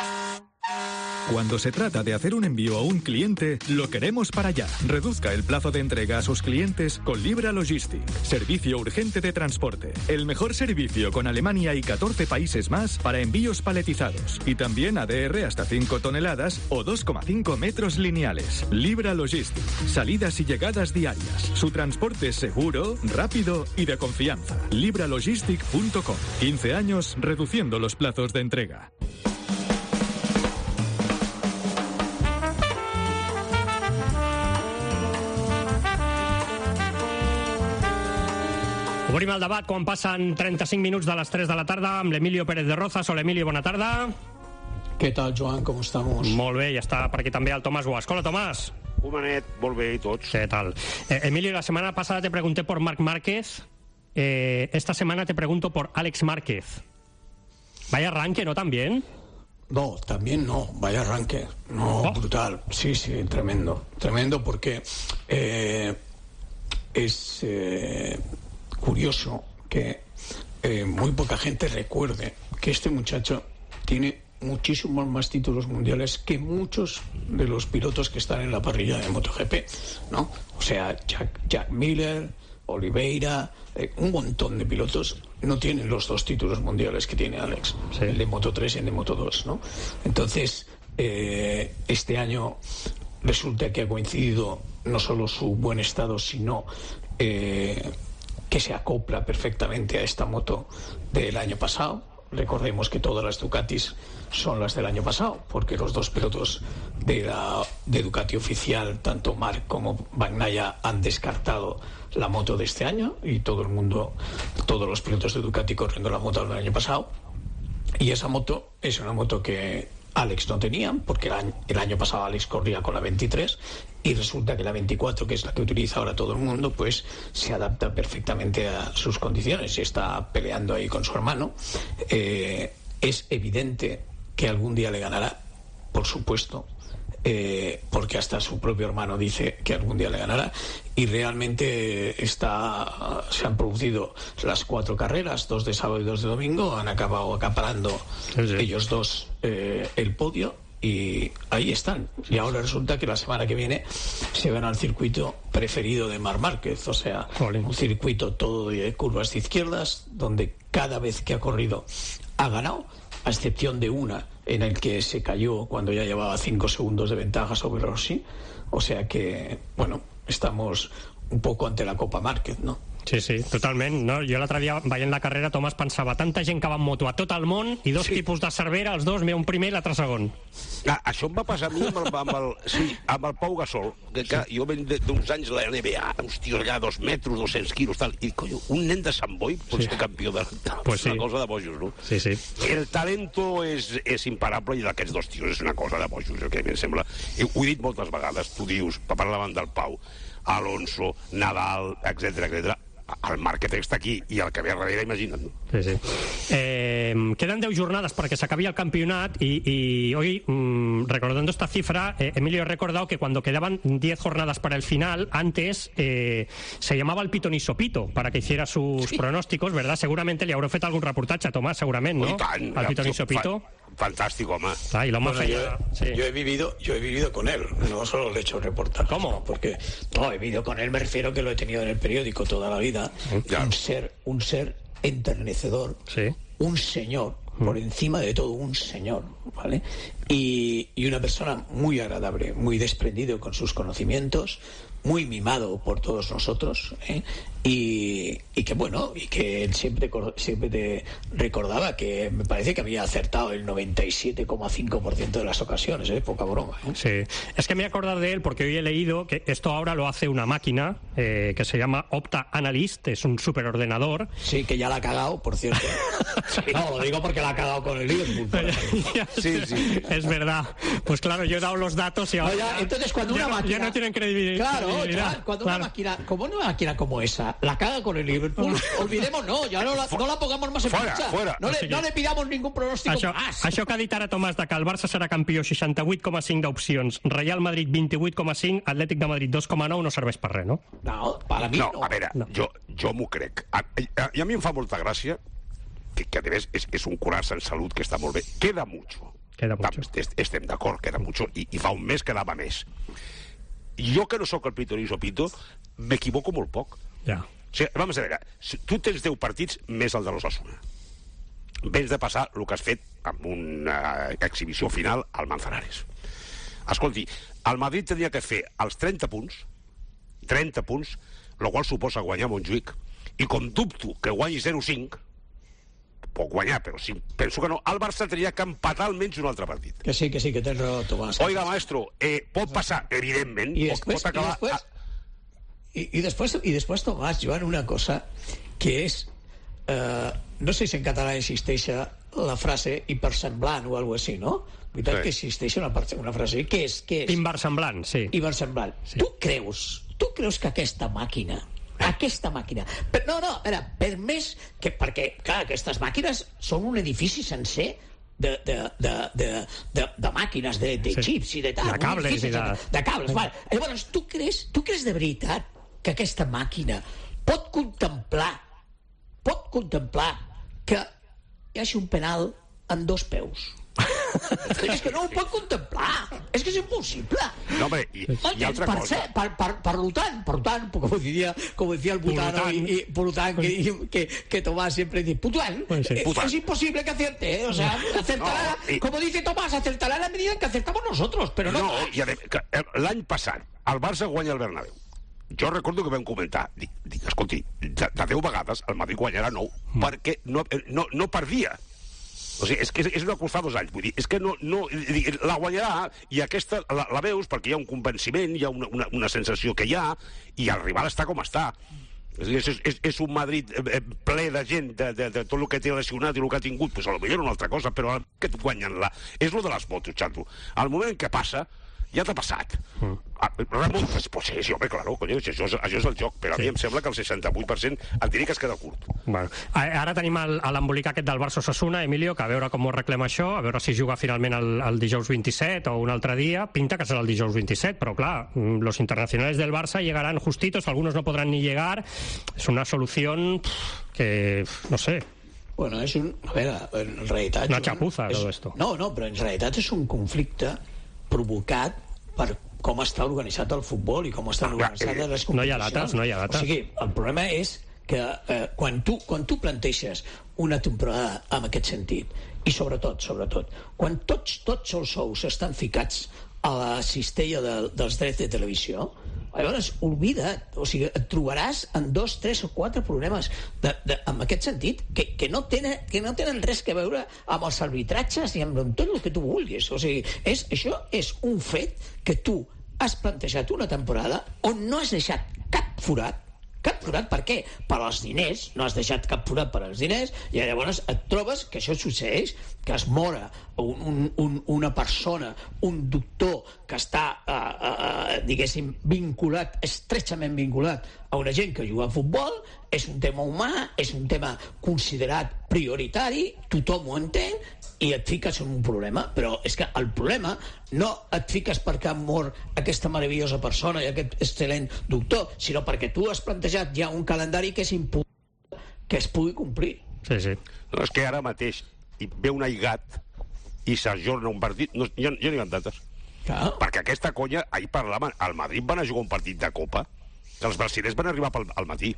Cuando se trata de hacer un envío a un cliente, lo queremos para allá. Reduzca el plazo de entrega a sus clientes con Libra Logistic. Servicio urgente de transporte. El mejor servicio con Alemania y catorce países más para envíos paletizados. Y también A D R hasta cinco toneladas o dos coma cinco metros lineales. Libra Logistic. Salidas y llegadas diarias. Su transporte es seguro, rápido y de confianza. libra logistic punto com. quince años reduciendo los plazos de entrega. Obrim el debat quan passen trenta-cinc minuts de les tres de la tarda amb l'Emilio Pérez de Rozas. Hola, Emilio, bona tarda. ¿Qué tal, Joan? ¿Cómo estamos? Molt bé, ja està per aquí també el Tomàs Guasc. Hola, Tomàs. Humanet, molt bé, i tots. ¿Qué tal? Eh, Emilio, la semana pasada te pregunté por Marc Márquez. Eh, esta semana te pregunto por Alex Márquez. Vaya arranque, ¿no? También. No, también no. Vaya arranque. No, oh. Brutal. Sí, sí, tremendo. Tremendo porque eh, es... Eh, curioso que eh, muy poca gente recuerde que este muchacho tiene muchísimos más títulos mundiales que muchos de los pilotos que están en la parrilla de MotoGP, ¿no? O sea, Jack, Jack Miller, Oliveira, eh, un montón de pilotos no tienen los dos títulos mundiales que tiene Alex, sí. El de Moto tres y el de Moto dos, ¿no? Entonces, eh, este año resulta que ha coincidido no solo su buen estado, sino... Eh, que se acopla perfectamente a esta moto del año pasado. Recordemos que todas las Ducatis son las del año pasado, porque los dos pilotos de la de Ducati oficial, tanto Marc como Bagnaia, han descartado la moto de este año, y todo el mundo, todos los pilotos de Ducati corriendo la moto del año pasado. Y esa moto es una moto que Alex no tenía, porque el año, el año pasado Alex corría con la veintitrés, y resulta que la veinticuatro, que es la que utiliza ahora todo el mundo, pues se adapta perfectamente a sus condiciones y está peleando ahí con su hermano. Eh, es evidente que algún día le ganará, por supuesto, eh, porque hasta su propio hermano dice que algún día le ganará, y realmente está, se han producido las cuatro carreras, dos de sábado y dos de domingo, han acabado acaparando sí, sí. ellos dos eh, el podio, y ahí están. Y ahora resulta que la semana que viene se van al circuito preferido de Marc Márquez, o sea, Jolín. Un circuito todo de curvas de izquierdas, donde cada vez que ha corrido ha ganado, a excepción de una en el que se cayó cuando ya llevaba cinco segundos de ventaja sobre Rossi. O sea que, bueno, estamos un poco ante la Copa Márquez, ¿no? Sí, sí, totalment. No? Jo l'altre dia, veient la carrera, Tomàs, pensava tanta gent que va en moto a tot el món i dos sí. tipus de Cervera, els dos, un primer i l'altre segon. Ah, això em va passar a mi amb el, amb el, sí, amb el Pau Gasol, que, que sí. jo venc d'uns anys la N B A, hòstia, allà, dos metres, dos-cents quilos, tal, i coño, un nen de Sant Boi pot sí. ser campió de... Pues sí. Una cosa de bojos, no? Sí, sí. El talento és, és imparable, i d'aquests dos tios és una cosa de bojos, el que a mi em sembla. Ho he dit moltes vegades, tu dius, parlaven del Pau, Alonso, Nadal, etcètera, etcètera. El Márquez està aquí i el que ve darrere, imagina't. Sí, sí. Eh, quedan deu jornadas para que se acabe el campeonato y, y hoy, mmm, recordando esta cifra, eh, Emilio, he recordado que cuando quedaban diez jornadas para el final, antes eh, se llamaba el Pito ni Sopito para que hiciera sus sí. pronósticos, ¿verdad? Seguramente le haurà fet algun reportatge a Tomàs, segurament, ¿no? Tant, el Pito ni Sopito. Fantástico, home. Ah, y lo más bueno, yo, sí. yo he vivido, yo he vivido con él, no solo le he hecho reportajes. ¿Cómo? No, porque no, he vivido con él, me refiero que lo he tenido en el periódico toda la vida. Ya. Un ser, un ser enternecedor, sí. un señor, mm. por encima de todo un señor, ¿vale? Y, y una persona muy agradable, muy desprendido con sus conocimientos, muy mimado por todos nosotros, ¿eh? y, y que bueno, y que él siempre, siempre te recordaba que me parece que había acertado el noventa y siete coma cinco por ciento de las ocasiones, ¿eh? Poca broma, ¿eh? Sí, es que me he acordado de él porque hoy he leído que esto ahora lo hace una máquina eh, que se llama Opta Analyst, es un superordenador. Sí, que ya la ha cagado, por cierto. Sí. No, lo digo porque la ha cagado con el Liverpool. Sí, sí. Es es verdad. Pues claro, yo he dado los datos y ahora... No, ya, entonces cuando ya una no, máquina... ya no tienen credibilidad. Claro, ya, cuando claro. una máquina, como una máquina como esa, la caga con el Liverpool, olvidemos, no, ya no la, no la pongamos más en Fuera, marcha. fuera. No, le, no le pidamos ningún pronóstico Això, más. això que ha dit ara Tomàs, de que el Barça serà campió seixanta-vuit coma cinc d'opcions, Real Madrid vint-i-vuit coma cinc, Atlètic de Madrid dos coma nou, no serveix per res, no? No, para mi no. no. A veure, no. jo, jo m'ho crec. A, a, I a mi em fa molta gràcia que, que a més és, és un curar-se en salut que està molt bé. Queda mucho. Queda mucho. Estem d'acord, queda mucho. I, I fa un mes quedava més. Jo, que no sóc el Pitorizo Pito, m'equivoco molt poc. Ja. O sigui, vamos a veure, si tu tens deu partits més el de l'Osasuna. Vens de passar el que has fet amb una exhibició final al Manzanares. Escolti, el Madrid tenia que fer els trenta punts, trenta punts, el qual suposa guanyar Montjuïc, i com dubto que guanyi zero cinc, pot guanyar, però si penso que no, el Barça tenia que empatar almenys un altre partit. Que sí, que sí, que tens raó, Tomàs. Oiga, maestro, eh, pot passar, evidentment, I pot, després, pot acabar... i després, i, i després, i després, Tomàs, Joan, una cosa que és... Eh, no sé si en català existeix la frase hipersemblant o alguna cosa així, no? Veritat Sí. que existeix una, una frase. Què és? Què és? Inversemblant, sí. Inversemblant. Sí. Tu creus, tu creus que aquesta màquina aquesta màquina. Però, no, no, era, per més que... Perquè, clar, aquestes màquines són un edifici sencer de, de, de, de, de, de màquines, de, de Sí. xips i de tal. De cables i de... De cables, vale. Llavors, tu creus, tu creus de veritat que aquesta màquina pot contemplar pot contemplar que hi hagi un penal en dos peus? És que no ho pot contemplar. És que és impossible. No, hombre, i, i altra per cosa... Ser, per, per, per tant, per tant, como decía, como decía el Putano, y, y, por tant, que, que, que Tomás siempre dice, Pután, Pues sí. eh, es imposible que acierte, ¿eh? O sea, acertará, No, i- como dice Tomás, acertará en la medida en que acertamos nosotros, pero no, No, i a veure, que, eh, l'any passat el Barça guanya el Bernabéu. Jo recordo que vam comentar, dic, dic escolti, de, de deu vegades el Madrid guanyarà nou, mm. perquè no, eh, no, no perdia. O sigui, és que és, és una cosa fa dos anys, vull dir, és que no, no, dic, la guanyarà i aquesta la, la veus perquè hi ha un convenciment, hi ha una, una, una sensació que hi ha, i el rival està com està. És, és, és un Madrid eh, ple de gent, de, de, de tot el que té lesionat i el que ha tingut, pues, potser una altra cosa, però que et guanyen la... És lo de les motos, xato. Al moment que passa, ja t'ha passat. Mm. Ah, remuntes, pues sí, sí, home, claro, coño, això, és, això és el joc, però sí. A mi em sembla que el seixanta-vuit per cent et diria que es queda curt. Bueno, ara tenim el, l'embolic aquest del Barça Osasuna, Emilio, que a veure com ho reclama això, a veure si juga finalment el, el dijous vint-i-set o un altre dia. Pinta que serà el dijous vint-i-set, però clar, los internacionales del Barça llegarán justitos, algunos no podrán ni llegar. Es una solución que, no sé... Bueno, és un... A veure, en realitat... Una chapuza, és, todo esto. No, no, però en realitat és un conflicte provocat per com està organitzat el futbol i com estan organitzades les competicions. No hi ha dates, no hi ha dates. O sigui, el problema és que eh, quan, tu, quan tu planteges una temporada en aquest sentit, i sobretot, sobretot, quan tots, tots els sous estan ficats a la cistella de, dels drets de televisió, llavors, oblida't, o sigui, et trobaràs en dos, tres o quatre problemes de, de, en aquest sentit que, que, no tenen, que no tenen res que veure amb els arbitratges ni amb tot el que tu vulguis. O sigui, és, això és un fet que tu has plantejat una temporada on no has deixat cap forat. Cap forat, per què? Per als diners, no has deixat cap forat per als diners, i llavors et trobes que això succeeix, que es mora un, un, un, una persona, un doctor que està, eh, eh, diguéssim, vinculat, estrechament vinculat a una gent que juga a futbol, és un tema humà, és un tema considerat prioritari, tothom ho entén, i et fiques en un problema, però és que el problema no et fiques perquè ha mort aquesta meravellosa persona i aquest excel·lent doctor, sinó perquè tu has plantejat ja un calendari que és impossible que es pugui complir. Sí, sí. No, és que ara mateix hi ve un aigat i s'ajorna un partit, no, ja, ja no hi ha dates. Clar. Perquè aquesta conya, ahir parlaven, al Madrid van a jugar un partit de Copa, que els brasilers van arribar pel, al matí,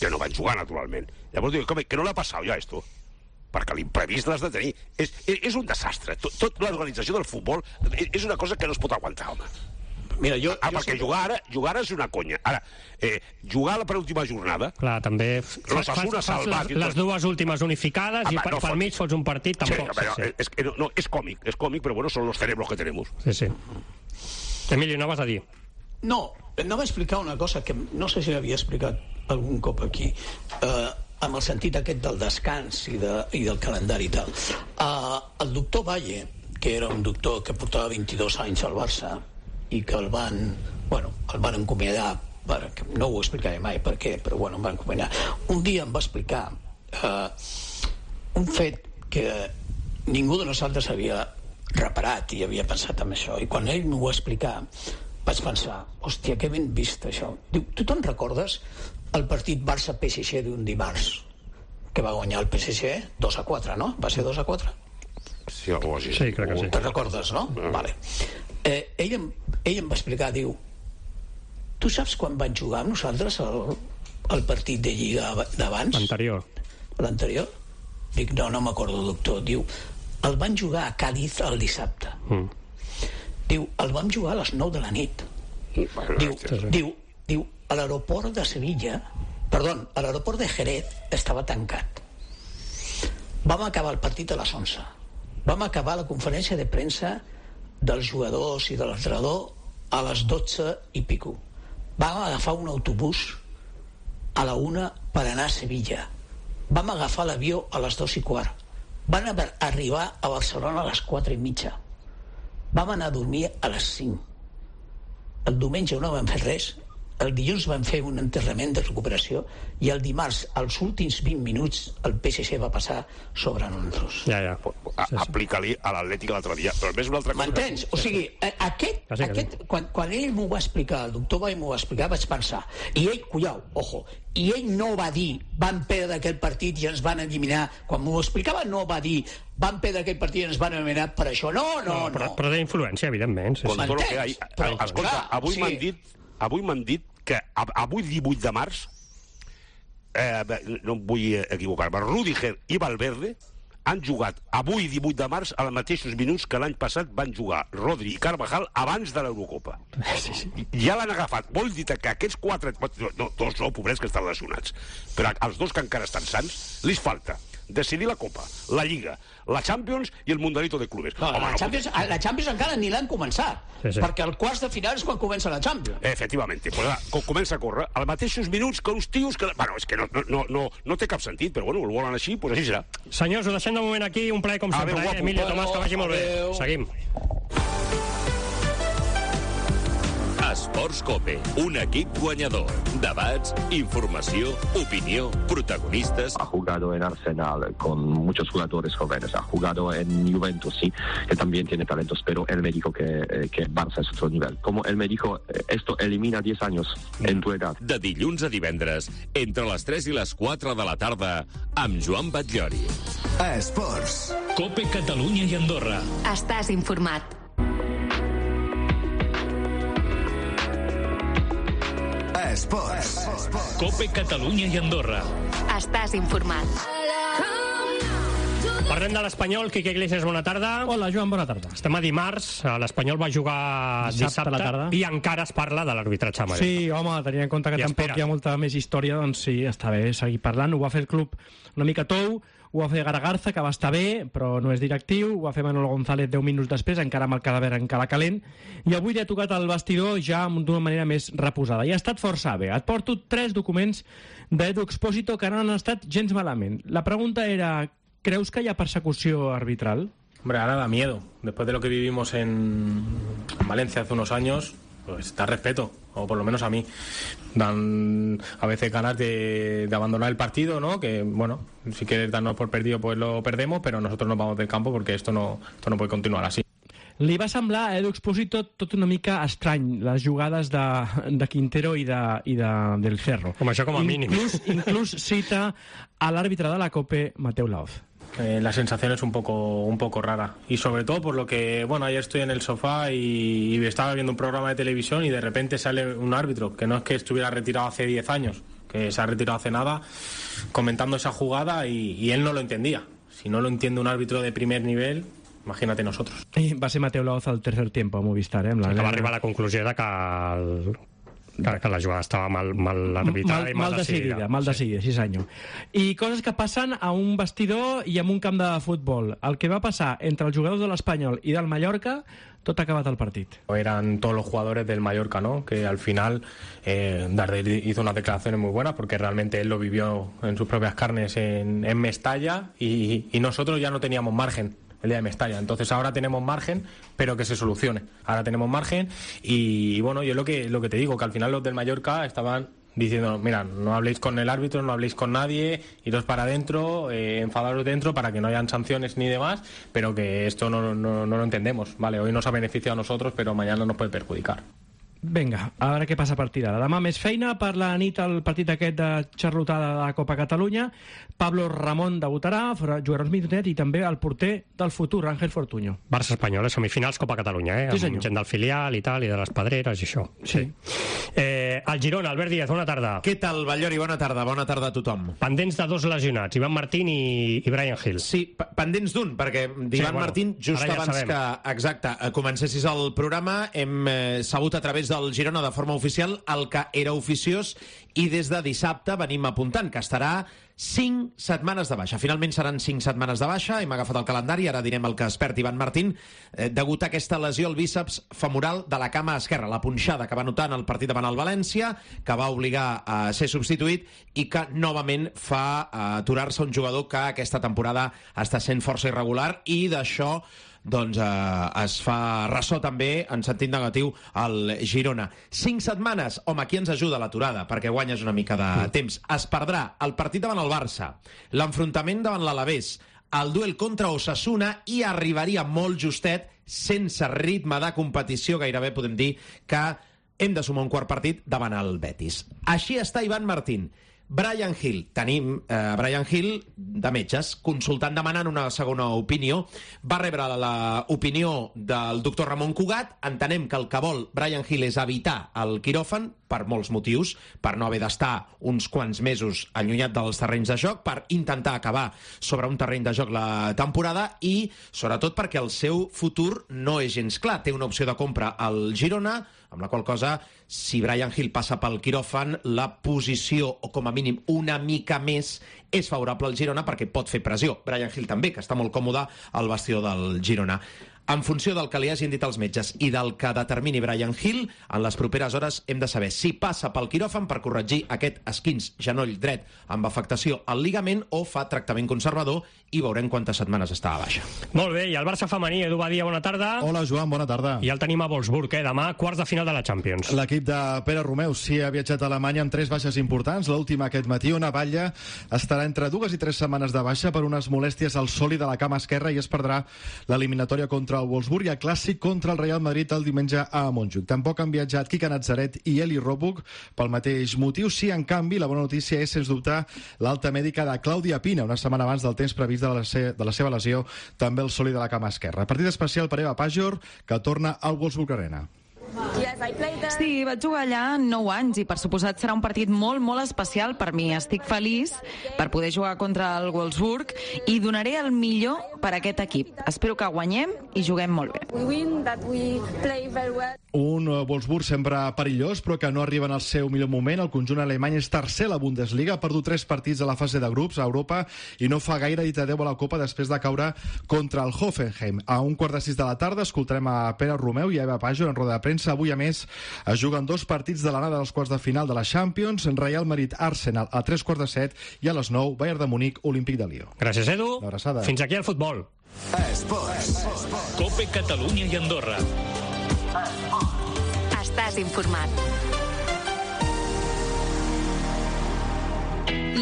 que no van jugar, naturalment. Llavors diu, que no l'ha passat ja, esto? Perquè l'imprevist l'has de tenir. És, és un desastre. Tot, tot l'organització del futbol és una cosa que no es pot aguantar, home. Mira, jo, ah, jo perquè sempre... jugar ara, jugar ara és una conya. Ara, eh, jugar a la penúltima jornada... Clar, també... L'Osasuna salvat... Les, les dues últimes unificades ah, i per, no pel mig fots un partit, tampoc. Sí, però, sí, sí. És, és, no, és còmic, és còmic, però bueno, són los cerebros que tenemos. Sí, sí. Emilio, no vas a dir? No, no va explicar una cosa que no sé si havia explicat algun cop aquí. Eh... amb el sentit aquest del descans i, de, i del calendari i tal. Uh, el doctor Valle, que era un doctor que portava vint-i-dos anys al Barça i que el van, bueno, el van encomiadar, perquè, no ho explicaré mai per què, però bueno, em van encomiadar. Un dia em va explicar eh, un fet que ningú de nosaltres havia reparat i havia pensat en això, i quan ell m'ho va explicar vaig pensar, hòstia, que ben vist això. Diu, tu te'n recordes el partit Barça-P S G d'un dimarts que va guanyar el P S G dos a quatre, no? Va ser dos a quatre? Sí, algo així. Sí, crec que sí. Te'n recordes, no? Ah. Vale. Eh, ell, em, ell em va explicar, diu, tu saps quan van jugar amb nosaltres el, el partit de Lliga d'abans? L'anterior. L'anterior? Dic, no, no m'acordo, doctor. Diu, el van jugar a Càdiz el dissabte. Mm. Diu, el vam jugar a les nou de la nit. Mm. Diu, sí, sí. diu, diu, a l'aeroport de Sevilla, perdó, a l'aeroport de Jerez estava tancat. Vam acabar el partit a les onze. Vam acabar la conferència de premsa dels jugadors i de l'entrenador a les dotze i pico. Vam agafar un autobús a la una per anar a Sevilla. Vam agafar l'avió a les dos i quart. Van arribar a Barcelona a les quatre i mitja. Vam anar a dormir a les cinc. El diumenge no vam fer res. El dilluns vam fer un enterrament de recuperació i el dimarts, als últims vint minuts, el P S G va passar sobre nosaltres. Ja, ja. A, aplica-li a l'Atlètic l'altre dia. Però més una altra cosa... M'entens? O sigui, aquest, sí, aquest quan, quan ell m'ho va explicar, el doctor Vall m'ho va explicar, vaig pensar, i ell, cullau, ojo, i ell no va dir, van perdre aquell partit i ens van eliminar, quan m'ho explicava no va dir, van perdre aquell partit i ens van eliminar per això, no, no, no. Però, però té influència, evidentment. Sí, Con sí. tot el que hi ha... Però, escolta, clar, avui sí. m'han dit, avui m'han dit que avui divuit de març, eh, no em vull equivocar-me, Rüdiger i Valverde han jugat avui divuit de març als mateixos minuts que l'any passat van jugar Rodri i Carvajal abans de l'Eurocopa. Sí, sí. Ja l'han agafat. Vol dir que aquests quatre... No, dos no, pobrets que estan lesionats. Però als dos que encara estan sants, li falta decidir la Copa, la Lliga, la Champions i el Mundialito de Clubes. No, Home, la, no Champions, pot... la Champions encara ni l'han començat, sí, sí. perquè el quarts de final és quan comença la Champions. Efectivament, pues, comença a córrer als mateixos minuts que uns tios que... Bueno, és que no, no, no, no té cap sentit, però bueno, el volen així, pues així serà. Senyors, ho deixem de moment aquí, un plaer com sempre, eh? Emilio, Tomàs, que vagi molt bé. Seguim. Esports Cope, un equip guanyador. Debats, informació, opinió, protagonistas. Ha jugado en Arsenal con muchos jugadores jóvenes, ha jugado en Juventus, sí, que también tiene talentos, pero él me dijo que, eh, que Barça es otro nivel. Como él me dijo, eh, esto elimina diez años en tu edad. De dilluns a divendres, entre les tres i les quatre de la tarda, amb Joan Batllori. Esports. Cope Catalunya i Andorra. Estàs informat. Esports. Cope Catalunya i Andorra. Estàs informat. Parlem de l'Espanyol. Quique Iglesias, bona tarda. Hola, Joan, bona tarda. Estem a dimarts. L'Espanyol va jugar dissabte, dissabte a la tarda i encara es parla de l'arbitratge. Sí, home, tenint en compte que I tampoc espera. Hi ha molta més història, doncs sí, està bé seguir parlant. Ho va fer el club una mica tou, ho va fer Garagarza, que va estar bé, però no és directiu, ho va fer Manolo González deu minuts després, encara amb el cadàver encara calent, i avui li ha tocat al vestidor ja d'una manera més reposada. I ha estat força bé. Et porto tres documents d'Edu Expósito que no han estat gens malament. La pregunta era, ¿creus que hi ha persecució arbitral? Hombre, ahora da miedo. Después de lo que vivimos en Valencia hace unos años, pues da respeto, o por lo menos a mí. Dan a veces ganas de, de abandonar el partido, ¿no? Que, bueno, si quieres darnos por perdido, pues lo perdemos, pero nosotros nos vamos del campo porque esto no, esto no puede continuar así. Li va semblar a Edu Expósito tot una mica estrany, les jugades de, de Quintero i, de, i de, del Cerro. Com això com a mínim. Inclús, inclús cita a l'àrbitre de la Cope, Mateu Laoz. Eh, la sensación es un poco un poco rara y sobre todo por lo que, bueno, ayer estoy en el sofá y, y estaba viendo un programa de televisión y de repente sale un árbitro que no es que estuviera retirado hace diez años, que se ha retirado hace nada, comentando esa jugada y, y él no lo entendía. Si no lo entiende un árbitro de primer nivel, imagínate nosotros. I va ser Mateu Laoz al tercer tiempo a Movistar, eh? Amb la sí, que va arribar a la conclusió de que el... Que, que la jugada estava mal, mal arbitrada mal, i mal, mal decidida. decidida. Mal decidida, sí, senyor. I coses que passen a un vestidor i en un camp de futbol. El que va passar entre els jugadors de l'Espanyol i del Mallorca, tot ha acabat el partit. Eran todos los jugadores del Mallorca, ¿no? Que al final eh, Darder hizo unas declaraciones muy buenas porque realmente él lo vivió en sus propias carnes en, en Mestalla y, y nosotros ya no teníamos margen. el día de Mestalla. Entonces ahora tenemos margen, pero que se solucione. Ahora tenemos margen y, y bueno, yo lo que, lo que te digo, que al final los del Mallorca estaban diciendo, mira, no habléis con el árbitro, no habléis con nadie, iros para adentro, eh, enfadaros dentro para que no hayan sanciones ni demás, pero que esto no, no, no lo entendemos, ¿vale? Hoy nos ha beneficiado a nosotros, pero mañana nos puede perjudicar. Vinga, a veure què passa a partir d'ara. Demà més feina per la nit al partit aquest de xarlotada de la Copa Catalunya. Pablo Ramón debutarà, jugarà uns minutet, i també el porter del futur, Ángel Fortuño. Barça Espanyol, semifinals Copa Catalunya, eh? Sí, amb gent del filial i tal, i de les Pedreres i això. Sí. Eh, el Girona, Albert Díaz, bona tarda. Què tal, Ballori? Bona tarda, bona tarda a tothom. Pendents de dos lesionats, Ivan Martín i, i Brian Hill. Sí, pendents d'un, perquè d'Ivan sí, bueno, Martín, just ja abans sabem. que, exacte, comencessis el programa, hem eh, sabut a través del Girona de forma oficial el que era oficiós, i des de dissabte venim apuntant que estarà cinc setmanes de baixa. Finalment seran cinc setmanes de baixa, hem agafat el calendari, ara direm el que es perd Ivan Martín, eh, degut a aquesta lesió al bíceps femoral de la cama esquerra, la punxada que va notar en el partit davant el València, que va obligar a ser substituït i que novament fa aturar-se un jugador que aquesta temporada està sent força irregular, i d'això doncs eh, es fa ressò també en sentit negatiu al Girona. Cinc setmanes, home, aquí ens ajuda l'aturada, perquè guanyes una mica de mm. temps. Es perdrà el partit davant el Barça, l'enfrontament davant l'Alavés, el duel contra Osasuna, i arribaria molt justet, sense ritme de competició, gairebé podem dir que hem de sumar un quart partit davant el Betis. Així està Ivan Martín. Brian Hill, tenim eh, Brian Hill de metges, consultant, demanant una segona opinió. Va rebre l'opinió del doctor Ramon Cugat. Entenem que el que vol Brian Hill és evitar el quiròfan per molts motius, per no haver d'estar uns quants mesos allunyat dels terrenys de joc, per intentar acabar sobre un terreny de joc la temporada, i sobretot perquè el seu futur no és gens clar. Té una opció de compra al Girona, amb la qual cosa, si Brian Hill passa pel quiròfan, la posició, o com a mínim una mica més, és favorable al Girona perquè pot fer pressió. Brian Hill també, que està molt còmode al vestidor del Girona. En funció del que li hagin dit els metges i del que determini Brian Hill, en les properes hores hem de saber si passa pel quiròfan per corregir aquest esquinç genoll dret amb afectació al ligament o fa tractament conservador, i veurem quantes setmanes està a baixa. Molt bé, i el Barça femení, Edu Badia, bona tarda. Hola, Joan, bona tarda. I el tenim a Wolfsburg, eh? Demà, quarts de final de la Champions. L'equip de Pere Romeu sí ha viatjat a Alemanya amb tres baixes importants. L'última aquest matí, una Batlle estarà entre dues i tres setmanes de baixa per unes molèsties al sòlid de la cama esquerra, i es perdrà l'eliminatòria contra el Wolfsburg i el clàssic contra el Real Madrid el diumenge a Montjuïc. Tampoc han viatjat Quique Natzaret i Eli Ropuch pel mateix motiu. Sí, en canvi, la bona notícia és, sens dubte, l'alta mèdica de Clàudia Pina, una setmana abans del temps previst de la, se de la seva lesió, també el sòlid de la cama esquerra. Partit especial per Eva Pajor, que torna al Wolfsburg Arena. Sí, vaig jugar allà nou anys i per suposat serà un partit molt, molt especial per mi. Estic feliç per poder jugar contra el Wolfsburg i donaré el millor per a aquest equip. Espero que guanyem i juguem molt bé. Un Wolfsburg sempre perillós, però que no arriba en el seu millor moment. El conjunt alemany és tercer a la Bundesliga, ha perdut tres partits a la fase de grups a Europa i no fa gaire dit adeu a la Copa després de caure contra el Hoffenheim. A un quart de sis de la tarda escoltarem a Pere Romeu i a Eva Pajor en roda de premsa. Avui, a més, es juguen dos partits de l'anada dels quarts de final de la Champions, Real Madrid-Arsenal a tres quarts de set i a les nou, Bayern de Munic, Olímpic de Lió. Gràcies, Edu. Fins aquí el futbol. Esports. Cope Catalunya i Andorra. Estàs informat.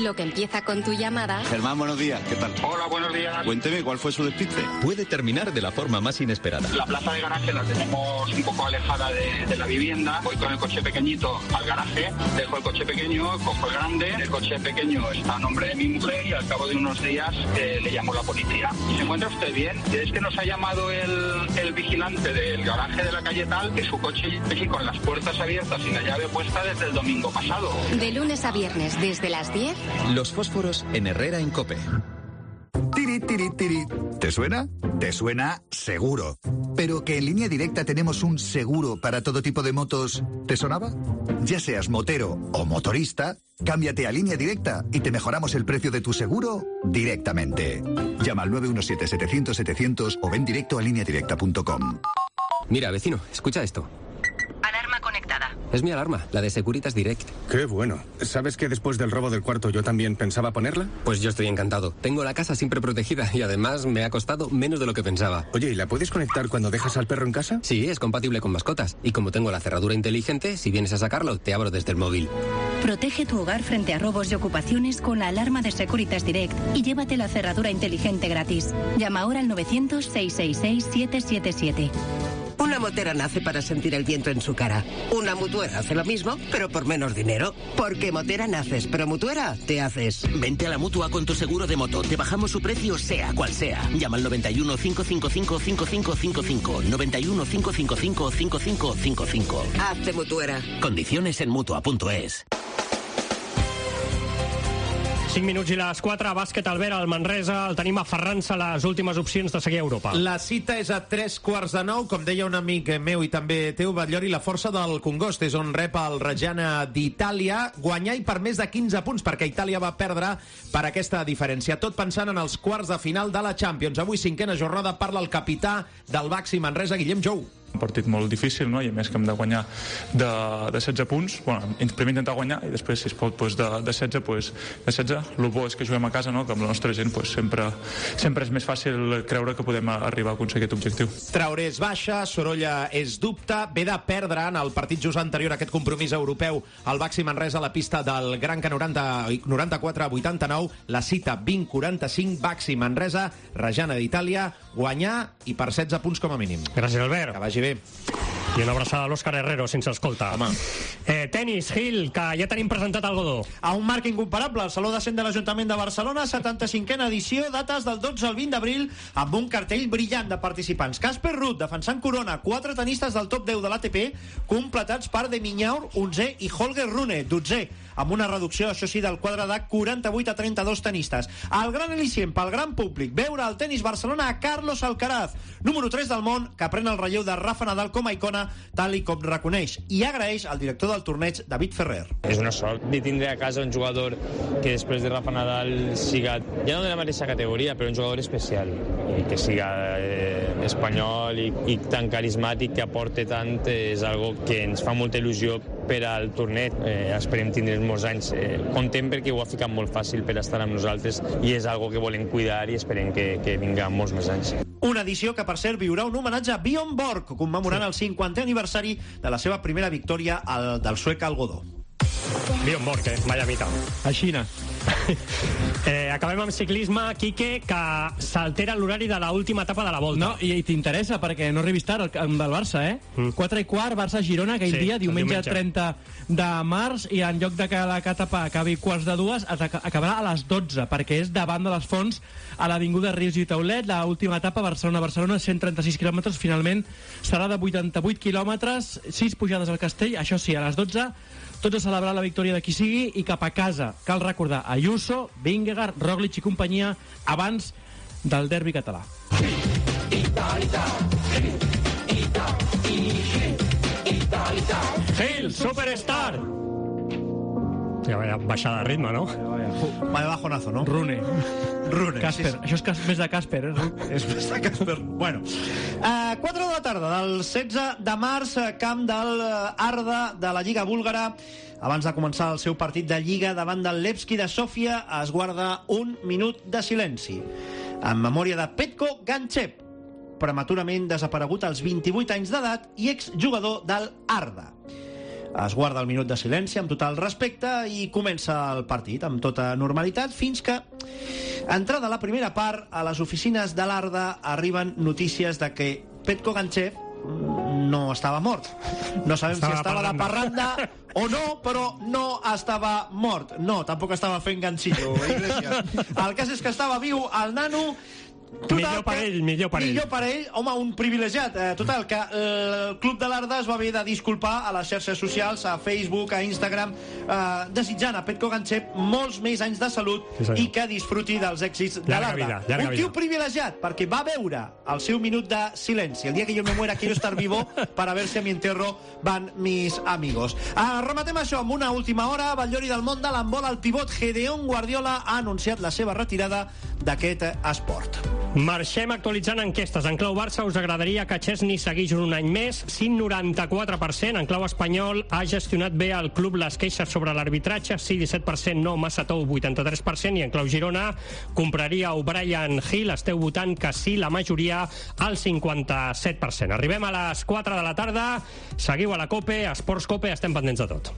Lo que empieza con tu llamada... Germán, buenos días. ¿Qué tal? Hola, buenos días. Cuénteme, ¿cuál fue su despiste? Puede terminar de la forma más inesperada. La plaza de garaje la tenemos un poco alejada de, de la vivienda. Voy con el coche pequeñito al garaje, dejo el coche pequeño, cojo el grande. El coche pequeño está a nombre de mi mujer y al cabo de unos días eh, le llamo a la policía. ¿Se encuentra usted bien? Es que nos ha llamado el, el vigilante del garaje de la calle tal, que su coche sigue con las puertas abiertas y la llave puesta desde el domingo pasado. De lunes a viernes, desde las diez... Los fósforos en Herrera en COPE. Tiri, tiri, tiri. ¿Te suena? Te suena seguro. Pero que en Línea Directa tenemos un seguro para todo tipo de motos, ¿te sonaba? Ya seas motero o motorista, cámbiate a Línea Directa y te mejoramos el precio de tu seguro directamente. Llama al nueve uno siete, setecientos, setecientos o ven directo a línea directa punto com. Mira, vecino, escucha esto. Alarma conectada. conectada. Es mi alarma, la de Securitas Direct. Qué bueno. ¿Sabes que después del robo del cuarto yo también pensaba ponerla? Pues yo estoy encantado. Tengo la casa siempre protegida y además me ha costado menos de lo que pensaba. Oye, ¿y la puedes conectar cuando dejas al perro en casa? Sí, es compatible con mascotas. Y como tengo la cerradura inteligente, si vienes a sacarlo, te abro desde el móvil. Protege tu hogar frente a robos y ocupaciones con la alarma de Securitas Direct y llévate la cerradura inteligente gratis. Llama ahora al novecientos, seiscientos sesenta y seis, siete siete siete. Una motera nace para sentir el viento en su cara. Una mutuera hace lo mismo, pero por menos dinero. Porque motera naces, pero mutuera te haces. Vente a la Mutua con tu seguro de moto. Te bajamos su precio sea cual sea. Llama al noventa y uno, cinco cinco cinco, cinco cinco cinco cinco. noventa y uno, cinco cinco cinco, cinco cinco cinco cinco. Hazte mutuera. Condiciones en Mutua punto es. cinc minuts i les quatre, bàsquet Albert, al Manresa, el tenim aferrant-se a les últimes opcions de seguir a Europa. La cita és a tres quarts de nou, com deia un amic meu i també teu, Batllori, la força del Congost, és on rep el Reggiana d'Itàlia, guanyar i per més de quinze punts, perquè Itàlia va perdre per aquesta diferència. Tot pensant en els quarts de final de la Champions. Avui, cinquena jornada, parla el capità del Baxi Manresa, Guillem Jou. Un partit molt difícil, no? I a més que hem de guanyar de, de setze punts. Bueno, primer intentar guanyar i després, si es pot, pues de, de setze, pues de setze. El bo és que juguem a casa, no? Que amb la nostra gent pues, sempre, sempre és més fàcil creure que podem arribar a aconseguir aquest objectiu. Traoré és baixa, Sorolla és dubte, ve de perdre en el partit just anterior a aquest compromís europeu al Baxi Manresa a la pista del Gran Can noranta-quatre a vuitanta-nou, la cita vint quaranta-cinc, Baxi Manresa, Reggiana d'Itàlia, guanyar i per setze punts com a mínim. Gràcies, Albert. Que vagi bé. I una abraçada a l'Òscar Herrero, si ens escolta. Home. Eh, tenis, Gil, que ja tenim presentat el Godó. A un marc incomparable, el Saló de Cent de l'Ajuntament de Barcelona, setanta-cinquena edició, dates del dotze al vint d'abril, amb un cartell brillant de participants. Casper Ruud, defensant corona, quatre tenistes del top deu de l'A T P, completats per De Minaur, onzè, i Holger Rune, dotzè, amb una reducció, això sí, del quadre de quaranta-vuit a trenta-dos tenistes. El gran al·licient pel gran públic, veure el tenis Barcelona a Carlos Alcaraz, número tres del món, que pren el relleu de Rafa Nadal com a icona, tal i com reconeix i agraeix al director del torneig, David Ferrer. És una sort de tindre a casa un jugador que després de Rafa Nadal siga, ja no de la mateixa categoria, però un jugador especial, i que siga eh, espanyol i, i tan carismàtic, que aporte tant, és algo que ens fa molta il·lusió per al torneig. Eh, esperem tindre molts anys. Eh, contem perquè ho ha ficat molt fàcil per estar amb nosaltres i és algo que volem cuidar i esperem que, que vinga molts més anys. Una edició que, per cert, viurà un homenatge a Bjorn Borg, commemorant el cinquantè aniversari de la seva primera victòria al, del suec al Godó. Bjorn Borg, eh? Vaya mita. A Xina. Eh, acabem amb ciclisme, Quique, que s'altera l'horari de l'última etapa de la Volta. No, i, i t'interessa, perquè no arribis tard amb el Barça, eh? Mm. quatre i quart, Barça-Girona, aquell sí, dia, diumenge, diumenge trenta de març, i en lloc de que la etapa acabi quarts de dues, acabarà a les dotze, perquè és davant de les Fonts, a l'avinguda Rius i Taulet. L'última etapa, Barcelona-Barcelona, cent trenta-sis quilòmetres, finalment serà de vuitanta-vuit quilòmetres, sis pujades al castell, això sí, a les dotze, tots a celebrar la victòria de qui sigui i cap a casa. Cal recordar Ayuso, Vingegaard, Roglic i companyia abans del derbi català. Gil, Superstar! Ja, vaya baixada de ritme, no? Vaya bajonazo, no? Rune. Rune. Casper. Sí, Això és cas més de Casper, eh? És més de Casper. Bueno. Uh, quatre de la tarda del setze de març, camp del Arda de la Lliga búlgara. Abans de començar el seu partit de Lliga davant del Levski de Sofia, es guarda un minut de silenci. En memòria de Petko Ganchev, prematurament desaparegut als vint-i-vuit anys d'edat i exjugador del Arda. Es guarda el minut de silenci amb total respecte i comença el partit amb tota normalitat fins que, entrada la primera part, a les oficines de l'Arda arriben notícies de que Petko Ganchev no estava mort. No sabem estava si estava de parranda o no, però no estava mort. No, tampoc estava fent ganxillo, Iglesias. El cas és que estava viu el nano. Total, millor per ell, millor per ell. Millor per ell, home, un privilegiat. Eh, total, que eh, el Club de l'Arda es va haver de disculpar a les xarxes socials, a Facebook, a Instagram, eh, desitjant a Petko Ganchev molts més anys de salut sí, i que disfruti dels èxits de l'Arda. Un tio privilegiat, perquè va veure el seu minut de silenci. El dia que jo me muera quiero estar vivo para ver si a mi entierro van mis amigos. Eh, rematem això amb una última hora. Batllori del món de l'handbol, el pivot Gedeon Guardiola ha anunciat la seva retirada d'aquest esport. Marxem actualitzant enquestes. En clau Barça us agradaria que Chesney seguís un any més? Sí, noranta-quatre per cent. En clau espanyol ha gestionat bé el club les queixes sobre l'arbitratge? Sí, disset per cent. No, massa tou, vuitanta-tres per cent. I en clau Girona compraria O'Brien Hill? Esteu votant que sí, la majoria al cinquanta-set per cent. Arribem a les quatre de la tarda. Seguiu a la COPE, Esports COPE, estem pendents de tot.